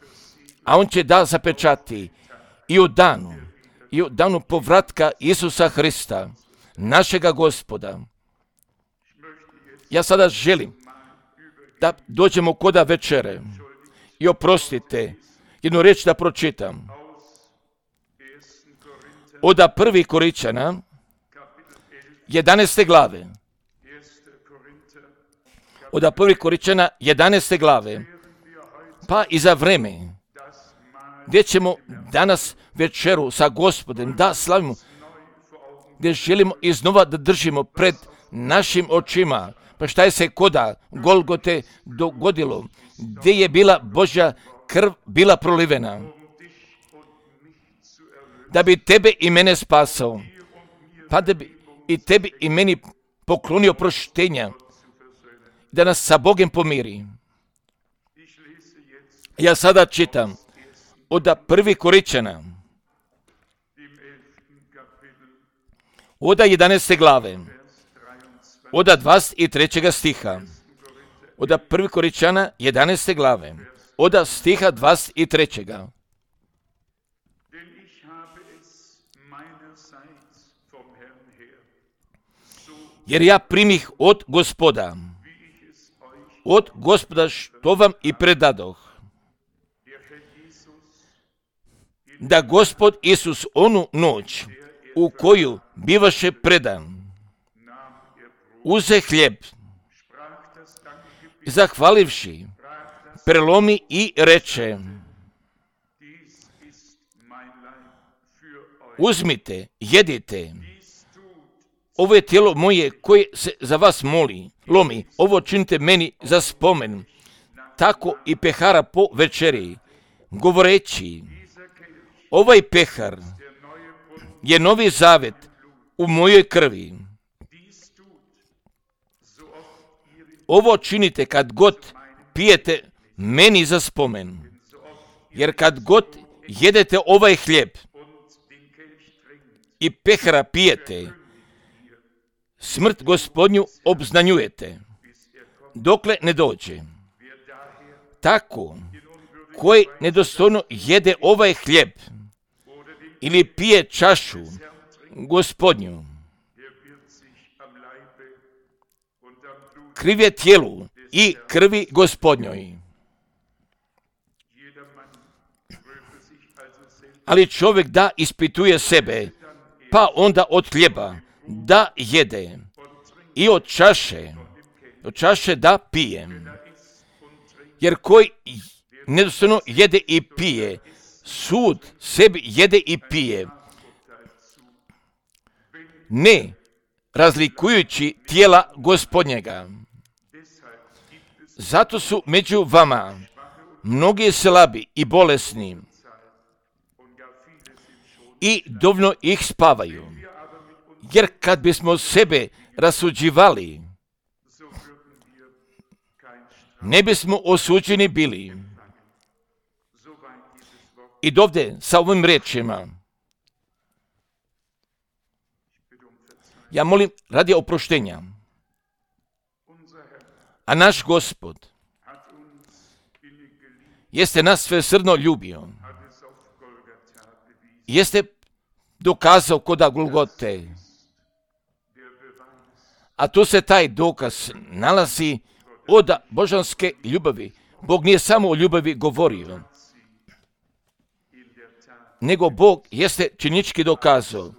A: a on će da zapečati i u danu povratka Isusa Hrista, našega Gospoda. Ja sada želim da dođemo koda večere i oprostite, jednu riječ da pročitam. Oda 1. Korinčana, 11. glave. Od 1. Korinčana 11. glave. Pa i za vreme gdje ćemo danas večeru sa Gospodem da slavimo, gdje želimo iznova da držimo pred našim očima, pa šta je se koda Golgote dogodilo, gdje je bila Božja krv bila prolivena, da bi tebe i mene spasao, pa da bi i tebi i meni poklonio proštenja, da nas sa Bogom pomiri. Ja sada čitam od 1. Korinčana, od 11. glave, od 23. stiha, od 1. Korinčana 11. glave, od stiha 23. Jer ja primih od Gospoda što vam i predadoh, da Gospod Isus onu noć u koju bivaše predan, uze hljeb, zahvalivši, prelomi i reče, uzmite, jedite, ovo je tijelo moje koje se za vas lomi, ovo činite meni za spomen. Tako i pehara po večeri, govoreći, ovaj pehar je novi zavet u mojoj krvi. Ovo činite kad god pijete meni za spomen, jer kad god jedete ovaj hljeb i pehara pijete, smrt Gospodnju obznanjujete, dokle ne dođe. Tako, koji nedostojno jede ovaj hljeb ili pije čašu Gospodnju, kriv je tijelu i krvi Gospodnjoj. Ali čovjek da ispituje sebe, pa onda od hljeba da jede i od čaše da pije. Jer koji nedostojno jede i pije, sud sebi jede i pije, ne razlikujući tijela Gospodnjega. Zato su među vama mnogi slabi i bolesni i dovoljno ih spavaju. Jer kad bismo sebe rasuđivali, ne bismo osuđeni bili. I dovde sa ovim riječima, ja molim radi oproštenja, a naš Gospod jeste nas svesrdno ljubio, jeste dokazao kod Golgote, a tu se taj dokaz nalazi od božanske ljubavi. Bog nije samo o ljubavi govorio, nego Bog jeste činički dokazao.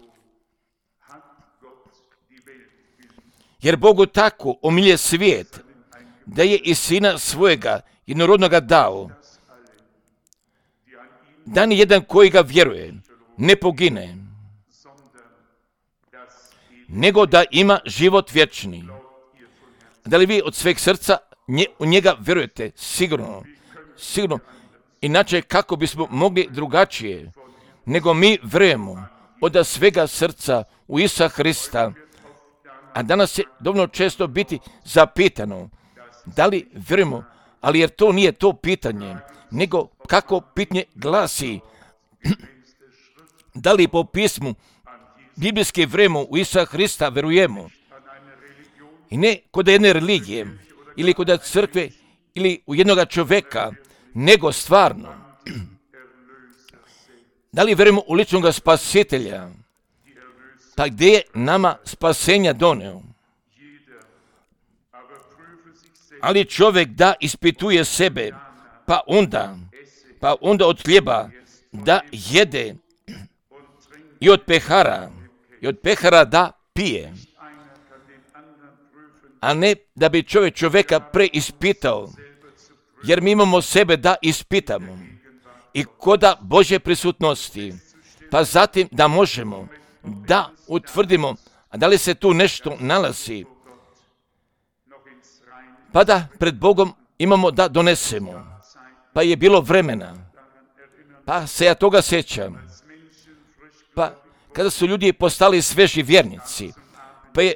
A: Jer Bogu tako omilje svijet, da je i sina svojega jednorodnoga dao, da ni jedan koji ga vjeruje ne pogine, nego da ima život vječni. Da li vi od sveg srca u njega vjerujete? Sigurno. Inače, kako bismo mogli drugačije, nego mi vjerujemo od svega srca u Isusa Hrista. A danas je dovoljno često biti zapitano, da li vjerujemo, ali jer to nije to pitanje, nego kako pitanje glasi, da li po pismu biblijski vjerujemo u Isusa Hrista vjerujemo. I ne kod jedne religije, ili kod crkve, ili u jednoga čovjeka, nego stvarno. Da li vjerujemo u ličnog spasitelja? Pa gdje je nama spasenja doneo? Ali čovjek da ispituje sebe, pa onda od hljeba da jede i od pehara da pije. a ne da bi čovjeka preispitao, jer mi imamo sebe da ispitamo i koda Božje prisutnosti, pa zatim da možemo da utvrdimo da li se tu nešto nalazi, pa da pred Bogom imamo da donesemo. Pa je bilo vremena, pa se ja toga sjećam, pa kada su ljudi postali sveži vjernici, pa je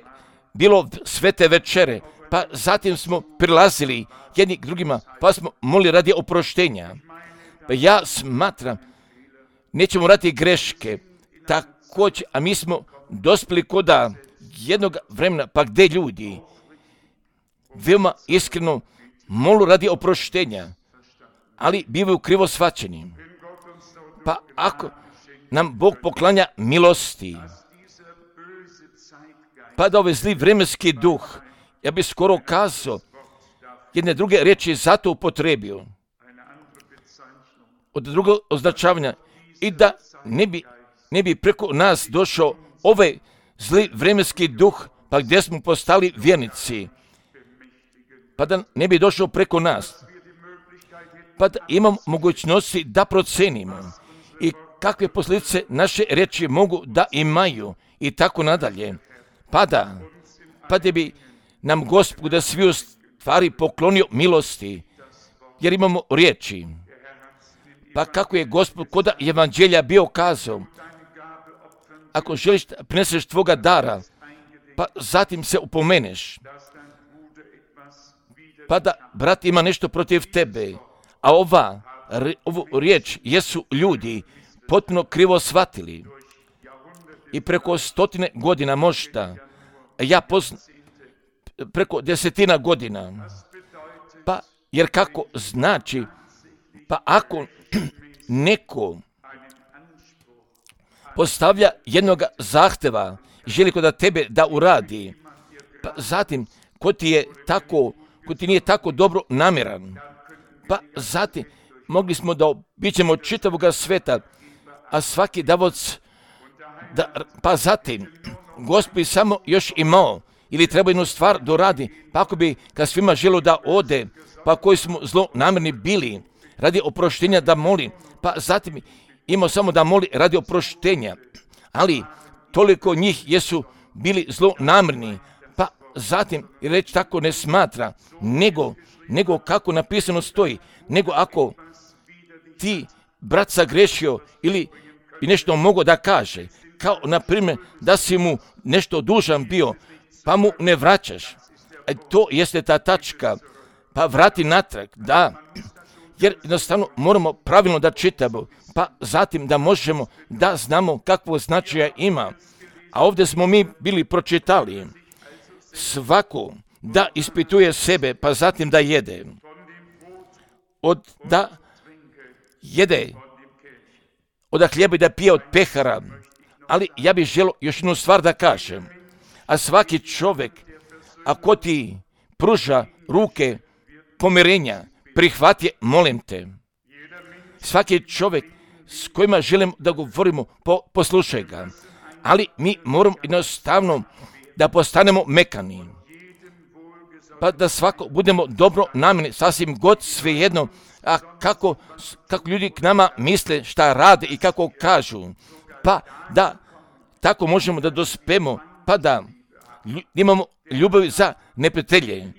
A: bilo svete večere, pa zatim smo prilazili jedni k drugima, pa smo molili radi oproštenja. Pa ja smatram, nećemo raditi greške, također, a mi smo dospjeli koda jednog vremena, pa gdje ljudi veoma iskreno molu radi oproštenja, ali bivaju krivo shvaćeni. Pa ako nam Bog poklanja milosti, pa da ovaj zli vremenski duh, ja bih skoro kazao, jedne druge riječi zato upotrebio, od drugog označavanja, i da ne bi preko nas došao ovaj zli vremenski duh, pa gdje smo postali vjernici, pa da ne bi došao preko nas, pa da imamo mogućnosti da procenimo i kakve posljedice naše riječi mogu da imaju i tako nadalje, pa da bi nam Gospod da svi u stvari poklonio milosti, jer imamo riječi. Pa kako je Gospod koda evanđelja bio kazao, ako želiš da prineseš tvoga dara, pa zatim se upomeneš, pa da brat ima nešto protiv tebe, a ovu riječ jesu ljudi potpuno krivo shvatili i preko 100 godina možda, ja preko 10 godina, pa jer kako znači, pa ako neko postavlja jednog zahteva, želi kod tebe da uradi, pa zatim ko ti nije tako dobro namjeran, pa zatim mogli smo da obiđemo čitavog sveta, a svaki davoc, pa zatim Gospod samo još imao ili treba jednu stvar doradi, pa ako bi kad svima želio da ode, pa koji smo zlonamjerni bili radi oproštenja da moli, pa zatim imao samo da moli radi oproštenja, ali toliko njih jesu bili zlonamjerni, pa zatim reći tako ne smatra, nego kako napisano stoji, nego ako ti brat sagrešio ili nešto mogo da kaže, kao na primjer da si mu nešto dužan bio, pa mu ne vraćaš. To jeste ta tačka, pa vrati natrag, da, jer jednostavno moramo pravilno da čitamo, pa zatim da možemo da znamo kakvo značaja ima. A ovdje smo mi bili pročitali, svako da ispituje sebe, pa zatim da jede. Da jede od hljeba i da pije od pehara, ali ja bih želio još jednu stvar da kažem, a svaki čovjek, ako ti pruža ruke pomirenja, prihvati je, molim te. Svaki čovjek s kojima želim da govorimo, poslušaj ga, ali mi moramo jednostavno da postanemo mekani, pa da svako budemo dobro namjerni, sasvim god svejedno, a kako ljudi k nama misle, šta rade i kako kažu, pa da tako možemo da dospemo, pa da imamo ljubav za neprijatelje.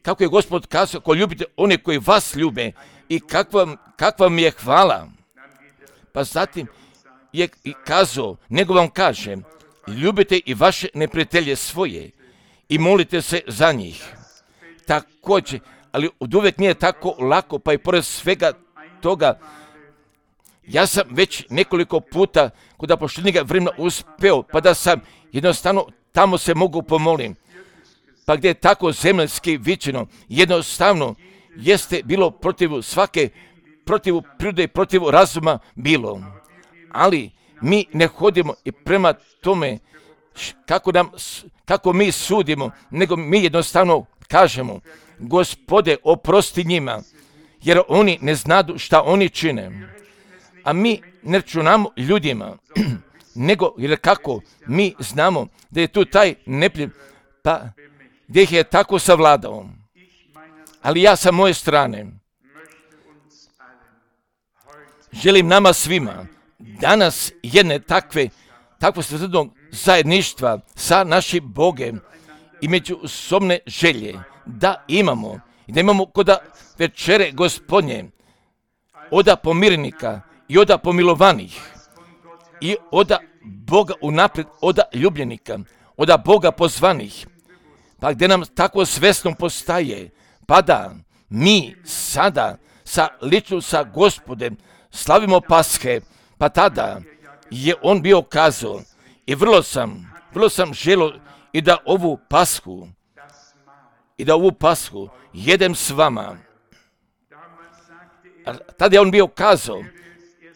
A: Kako je Gospod kazao, ko ljubite one koji vas ljube i kakva mi je hvala. Pa zatim je i kazao, nego vam kažem, ljubite i vaše neprijatelje svoje i molite se za njih. Također, ali oduvijek nije tako lako, pa i pored svega toga, ja sam već nekoliko puta kod poštenjega vremena uspeo, pa da sam jednostavno tamo se mogu pomolim. Pa gdje je tako zemaljski viđeno, jednostavno jeste bilo protiv prirode i protiv razuma bilo. Ali mi ne hodimo i prema tome kako mi sudimo, nego mi jednostavno kažemo, Gospode, oprosti njima, jer oni ne znadu šta oni čine. A mi ne računamo ljudima, nego jer kako mi znamo da je tu taj neprijatelj, pa gdje ih je tako savladao. Ali ja sa moje strane želim nama svima danas jedne takvo sretnog zajedništva sa našim Bogem i međusobne želje da imamo i da imamo kod večere Gospodnje oda pomirnika i oda pomilovanih i oda Boga unaprijed, oda ljubljenika, oda Boga pozvanih, pa gdje nam tako svesno postaje, pa da mi sada lično sa Gospodem slavimo Pashe, pa tada je on bio kazao i vrlo sam želio i da ovu Pashu jedem s vama. A tada je on bio kazao,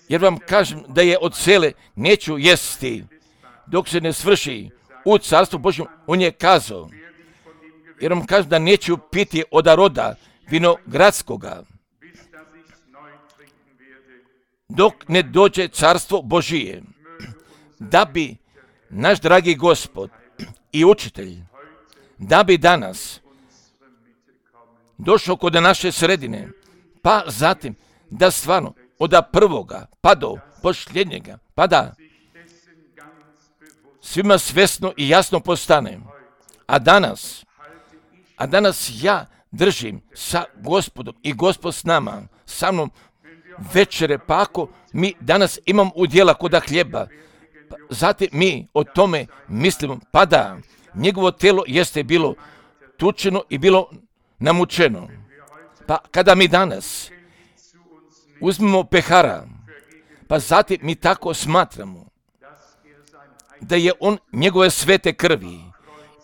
A: jer vam kažem da je od sele neću jesti dok se ne svrši u carstvu Božjem. On je kazao, jer vam kažem da neću piti od roda vinogradskoga dok ne dođe carstvo Božije, da bi naš dragi Gospod i učitelj, da bi danas došao kod naše sredine, pa zatim da stvarno od prvoga pa do posljednjega, pa da svima svesno i jasno postane. A danas ja držim sa Gospodom i Gospod s nama, sa mnom večere, pa ako mi danas imam udjela koda hljeba, pa zatim mi o tome mislimo, pa da njegovo telo jeste bilo tučeno i bilo namučeno. Pa kada mi danas uzmemo pehara, pa zatim mi tako smatramo da je on njegove svete krvi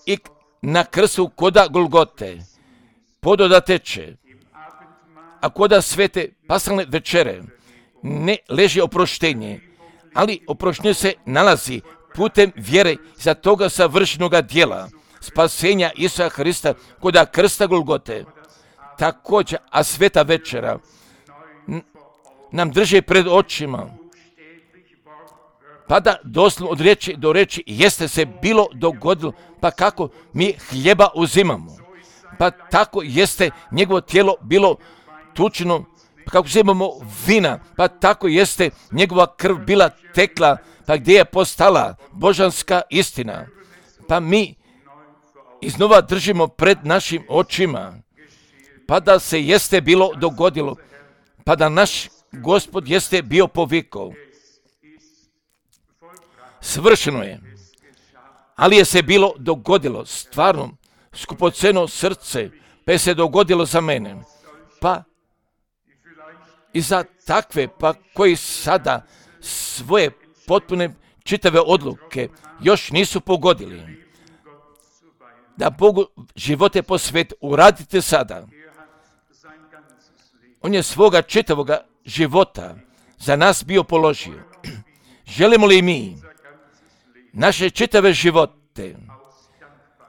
A: i na krstu koda Golgote pododa teče, a koda svete pasalne večere ne leži oproštenje, ali oproštenje se nalazi putem vjere za toga savršenoga djela spasenja Isusa Hrista koda krsta Golgote. Također, a sveta večera nam drži pred očima, pa da doslovno od riječi do riječi jeste se bilo dogodilo, pa kako mi hljeba uzimamo, pa tako jeste njegovo tijelo bilo tučeno, pa kako uzimamo vina, pa tako jeste njegova krv bila tekla, pa gdje je postala božanska istina, pa mi iznova držimo pred našim očima, pa da se jeste bilo dogodilo, pa da naš Gospod jeste bio povikao. Svršeno je, ali je se bilo dogodilo stvarno skupoceno srce, pa je se dogodilo za mene, pa i za takve, pa koji sada svoje potpune čitave odluke još nisu pogodili, da Bogu živote posvet uradite sada. On je svoga čitavoga života za nas bio položio. Želimo li mi naše čitave živote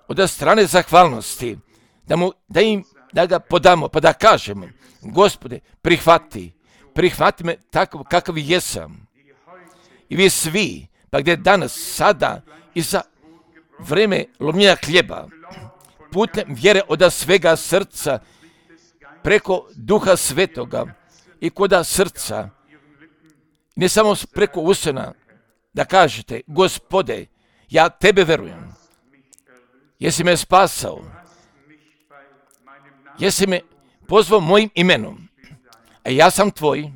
A: od strane zahvalnosti da ga podamo, pa da kažemo, Gospode, prihvati me takav kakav jesam. I vi svi, pa gdje danas, sada i za vreme lomljenja hljeba, putem vjere od svega srca, preko Duha Svetoga i koda srca, ne samo preko usana, da kažete, Gospode, ja tebe verujem, jesi me spasao, jesi me pozvao mojim imenom, a ja sam tvoj,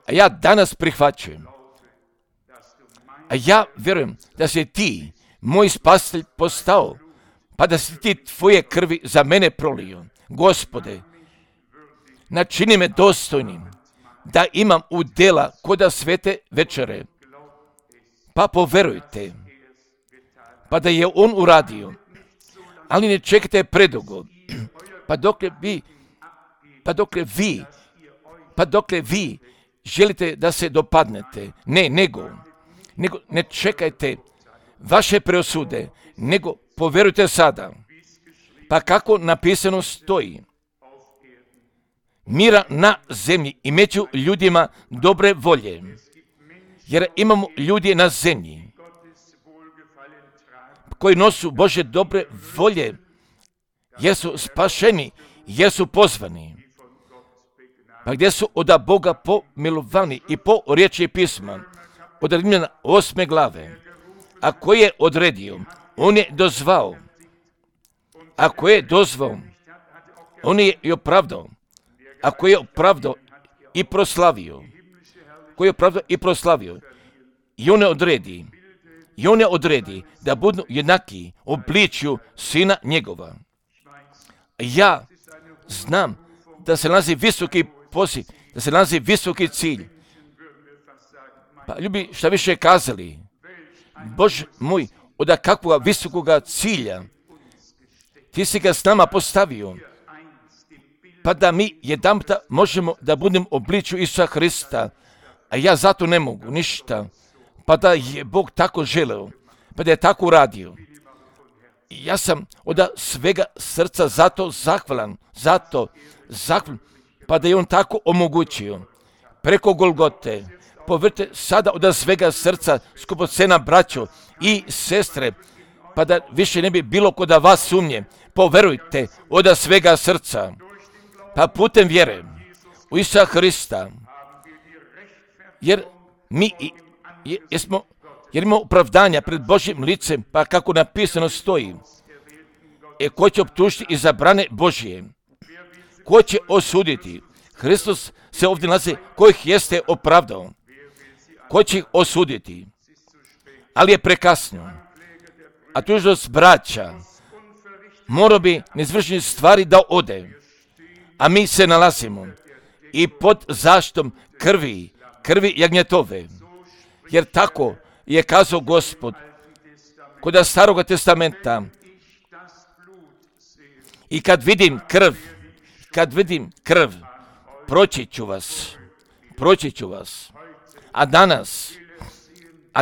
A: a ja danas prihvaćujem, a ja verujem da si ti moj spasitelj postao, pa da si ti tvoje krvi za mene prolio. Gospode, načini me dostojnim da imam udjela koda svete večere, pa poverujte, pa da je on uradio, ali ne čekajte predugo, pa dokle vi želite da se dopadnete, nego ne čekajte vaše preosude, nego poverujte sada, pa kako napisano stoji, mira na zemlji i među ljudima dobre volje, jer imamo ljudi na zemlji koji nosu Bože dobre volje, jer su spašeni, jer su pozvani. Pa gdje su od Boga pomilovani i po riječi pisma, od Rimljana 8. glave. Ako je odredio, on je dozvao. Ako je dozvao, on je i opravdao. Ako je opravdao i proslavio. Ko je opravdao i proslavio. I on je odredi da budu jednaki obličju Sina njegova. Ja znam da se nalazi visoki poziv, da se nalazi visoki cilj. Pa ljubi šta više kazali, Bože moj, od kakvoga visokoga cilja ti si ga s nama postavio, pa da mi jedanputa možemo da budemo obličju Isusa Hrista, a ja zato ne mogu ništa, pa da je Bog tako želeo, pa da je tako uradio. Ja sam od svega srca zato zahvalan, pa da je on tako omogućio. Preko Golgote, povrte sada od svega srca skupocena braćo i sestre, pa da više ne bi bilo kod vas sumnje. Poverujte od svega srca, pa putem vjere u Isusa Hrista, jer mi imamo opravdanja pred Božjim licem, pa kako napisano stoji, ko će optužiti i zabrane Božje? Ko će osuditi? Hristos se ovdje nalazi, kojih jeste opravdao. Ko će ih osuditi? Ali je prekasno. A tužnost braća mora bi neizvršenih stvari da ode. A mi se nalazimo i pod zaštitom krvi jagnjetove. Jer tako je kazao Gospod kod Staroga testamenta. I kad vidim krv, proći ću vas. A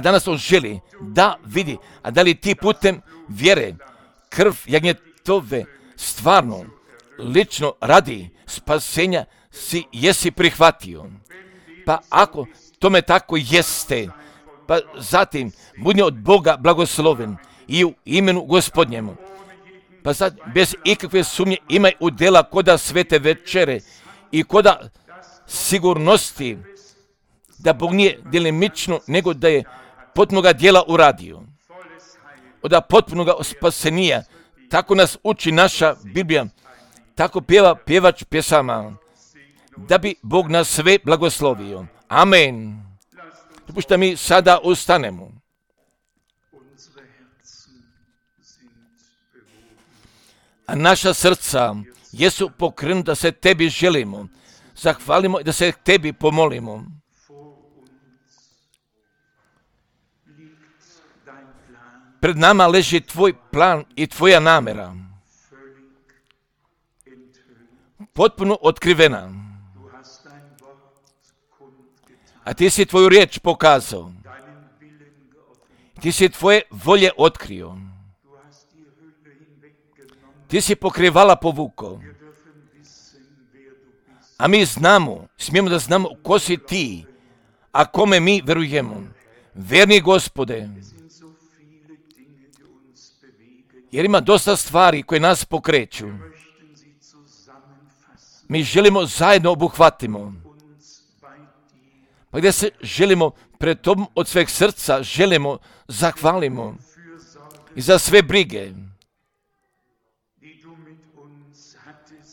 A: danas on želi da vidi, a da li ti putem vjere krv jagnjetove stvarno, lično radi spasenja jesi prihvatio. Pa ako tome tako jeste, pa zatim budi od Boga blagosloven i u imenu Gospodnjemu. Pa sad bez ikakve sumnje imaj udjela koda svete večere i koda sigurnosti da Bog nije delimično, nego da je potpunoga djela uradio. Od potpunoga spasenija, tako nas uči naša Biblija, tako pjeva pjevač pjesama, da bi Bog nas sve blagoslovio. Amen. Dopušta mi sada ustanemo. A naša srca jesu pokrenuta da se tebi želimo, zahvalimo i da se tebi pomolimo. Pred nama leži tvoj plan i tvoja namjera, potpuno otkrivena. A ti si tvoju riječ pokazao. Ti si tvoje volje otkrio. Ti si pokrivala povukao. A mi smijemo da znamo ko si ti, a kome mi verujemo. Verni Gospode, jer ima dosta stvari koje nas pokreću. Mi želimo zajedno obuhvatimo. Pa gdje se želimo pred tobom od sveg srca, želimo, zahvalimo i za sve brige.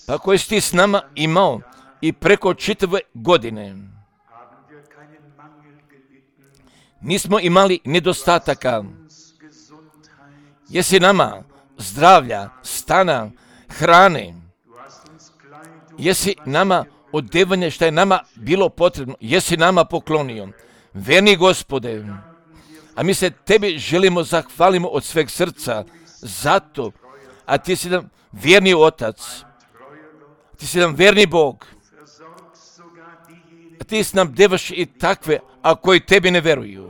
A: Pa koje si ti s nama imao i preko čitave godine. Nismo imali nedostataka. Jesi nama zdravlja, stana, hrane. Jesi nama odevanje što je nama bilo potrebno. Jesi nama poklonio. Verni Gospode. A mi se tebi želimo zahvalimo od sveg srca. Zato. A ti si nam vjerni Otac. Ti si nam verni Bog. A ti si nam devaš i takve, a koji tebi ne veruju.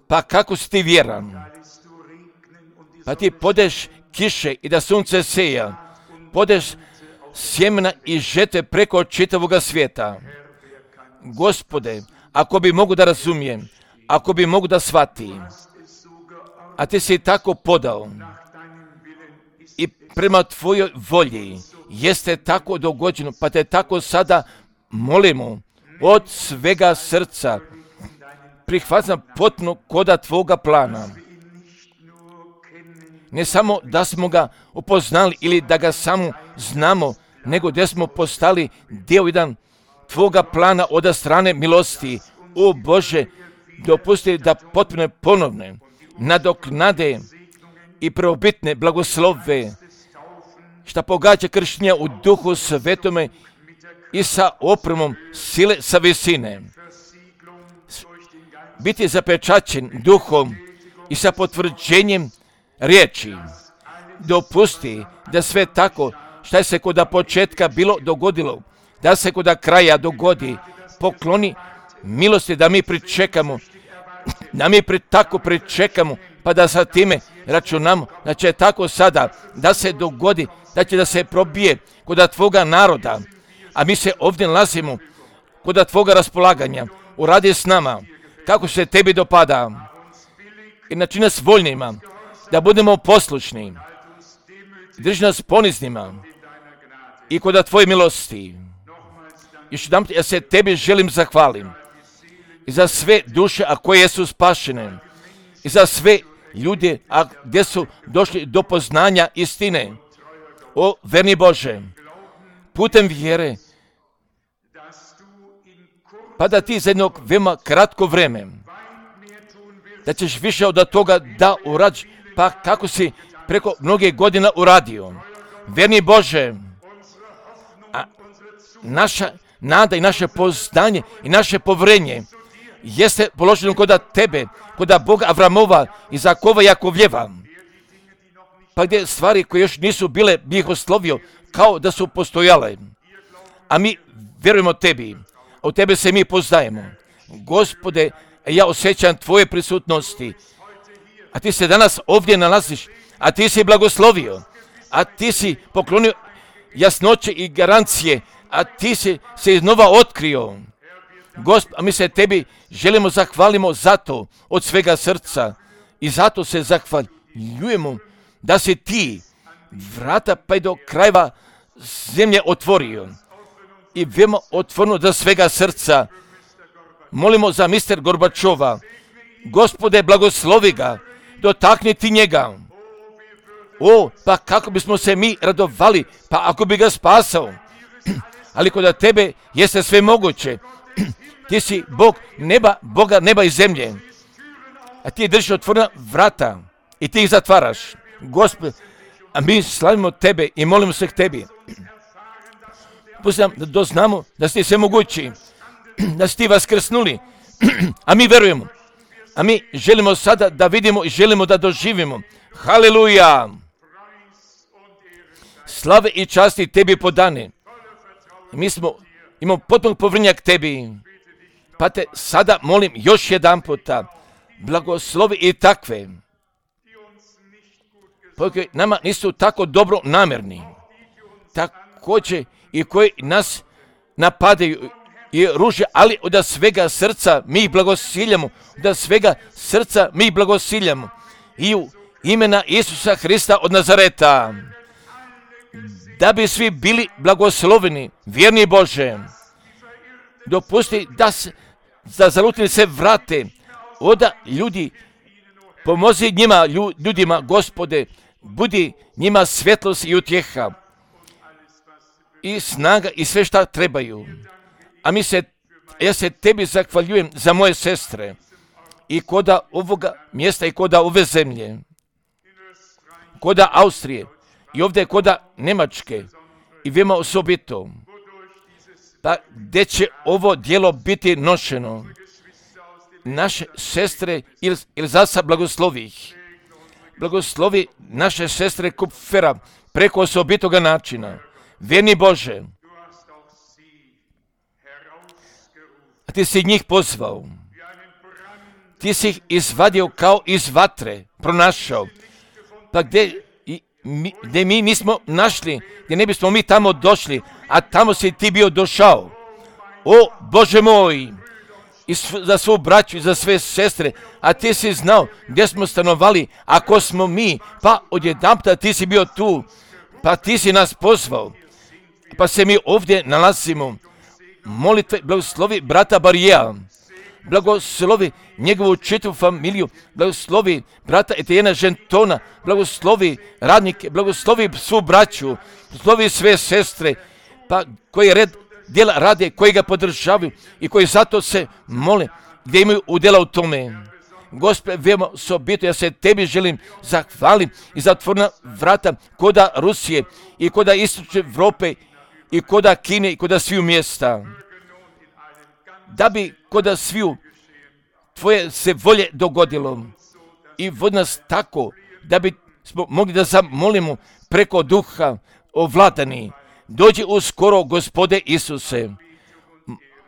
A: Pa kako si ti vjeran? Pa ti podeš kiše i da sunce seja. Podeš sjemena i žete preko čitavoga svijeta. Gospode, ako bi mogu da razumijem, ako bi mogu da shvatim, a ti si tako podao, i prema tvojoj volji jeste tako dogođeno, pa te tako sada molimo od svega srca. Prihvaćam potpuno koda tvoga plana. Ne samo da smo ga upoznali ili da ga samo znamo, nego da smo postali dio jedan tvoga plana od strane milosti. O Bože, dopusti da potpuno ponovne nadoknade i prvobitne blagoslove šta pogađa krštenja u Duhu Svetome i sa opremom sile sa visine. Biti zapečaćen Duhom i sa potvrđenjem riječi. Dopusti da sve tako šta je se kod početka bilo dogodilo, da se kod kraja dogodi. Pokloni milosti da mi pričekamo, da mi tako pričekamo, pa da sa time računamo da će tako sada da se dogodi, da će da se probije kod tvoga naroda, a mi se ovdje nalazimo kod tvoga raspolaganja. Uradi s nama kako se tebi dopada i načini nas voljnima da budemo poslušni. Drži nas poniznima i kod tvoje milosti. Još jedan ja se tebi želim zahvalim i za sve duše a koje su spašene i za sve ljude a gdje su došli do poznanja istine. O verni Bože, putem vjere, pa da ti za jednog veoma kratko vreme, da ćeš više od toga da uradiš, pa kako si preko mnoge godina uradio. Verni Bože, a naša nada i naše poznanje i naše povrenje jeste položeno kod tebe, kod Boga Avramova, Izakova i Jakovljeva. Pa gdje stvari koje još nisu bile, bi ih oslovio kao da su postojale. A mi vjerujemo tebi, a u tebe se mi poznajemo. Gospode, ja osjećam tvoje prisutnosti, a ti se danas ovdje nalaziš, a ti si blagoslovio, a ti si poklonio jasnoće i garancije, a ti si se iznova otkrio. Gospod, a mi se tebi želimo zahvalimo zato od svega srca i zato se zahvaljujemo da si ti vrata pa i do krajeva zemlje otvorio i veoma otvoreno do svega srca. Molimo za mister Gorbačova. Gospode, blagoslovi ga, dotakni ti njega. O, pa kako bismo se mi radovali, pa ako bi ga spasao. Ali kod tebe jeste sve moguće. Ti si Bog neba, Boga neba i zemlje. A ti držiš otvorena vrata i ti ih zatvaraš. Gospod, a mi slavimo tebe i molimo se k tebi. Pusti nam da doznamo da si sve mogući, da si ti vaskrsnuli, a mi verujemo. A mi želimo sada da vidimo i želimo da doživimo. Haleluja! Slave i časti tebi podane. Mi imamo potpuno povjerenja k tebi. Pa te sada molim još jedan puta, blagoslovi i takve, koji nama nisu tako dobro namjerni, također i koji nas napadaju i ruže, ali od svega srca mi ih blagosiljamo, od svega srca mi ih blagosiljamo i u imena Isusa Hrista od Nazareta, da bi svi bili blagosloveni, vjerni Bože. Dopusti da zalutni se vrate od ljudi, pomozi njima, ljudima, Gospode, budi njima svjetlost i utjeha i snaga i sve šta trebaju. A ja se tebi zahvaljujem za moje sestre i koda ovoga mjesta i koda ove zemlje, koda Austrije i ovdje koda Njemačke i veoma osobito, pa gdje će ovo djelo biti nošeno. Naše sestre ili zasa blagoslovi ih. Blagoslovi naše sestre Kupfera preko osobitoga načina. Vjerni Bože, a ti si njih pozvao. Ti si ih izvadio kao iz vatre, pronašao. Pa gdje mi nismo našli, gdje ne bismo mi tamo došli, a tamo si ti bio došao. O Bože moj, i za svu braću i za sve sestre, a ti si znao gdje smo stanovali, ako smo mi, pa odjedanputa ti si bio tu, pa ti si nas pozvao, pa se mi ovdje nalazimo. Molitve, blagoslovi brata Barijeja, blagoslovi njegovu čitavu familiju, blagoslovi brata Etijena Žentona, blagoslovi radnike, blagoslovi svu braću, blagoslovi sve sestre, pa koji red djela rade, koji ga podržavaju i koji zato se mole, gdje imaju udjela u tome. Gospode, veoma osobito, ja se tebi želim zahvalim i zatvorna vrata koda Rusije i koda istočne Evrope i koda Kine i koda sviju mjesta. Da bi koda sviju tvoje se volje dogodilo i vodi nas tako da bi smo mogli da zamolimo preko duha ovladani. Dođi uskoro, Gospode Isuse.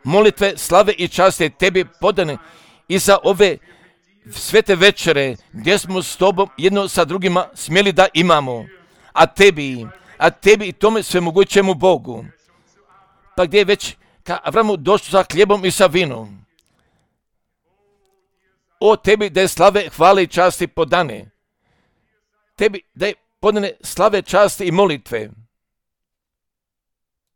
A: Molitve, slave i časte tebi podane i za ove svete večere gdje smo s tobom jedno sa drugima smjeli da imamo. A tebi i tome svemogućemu Bogu. Pa gdje je već ka Avramu došlo sa hljebom i sa vinom. O tebi da je slave, hvale i časti podane. Tebi da je podane slave, časti i molitve.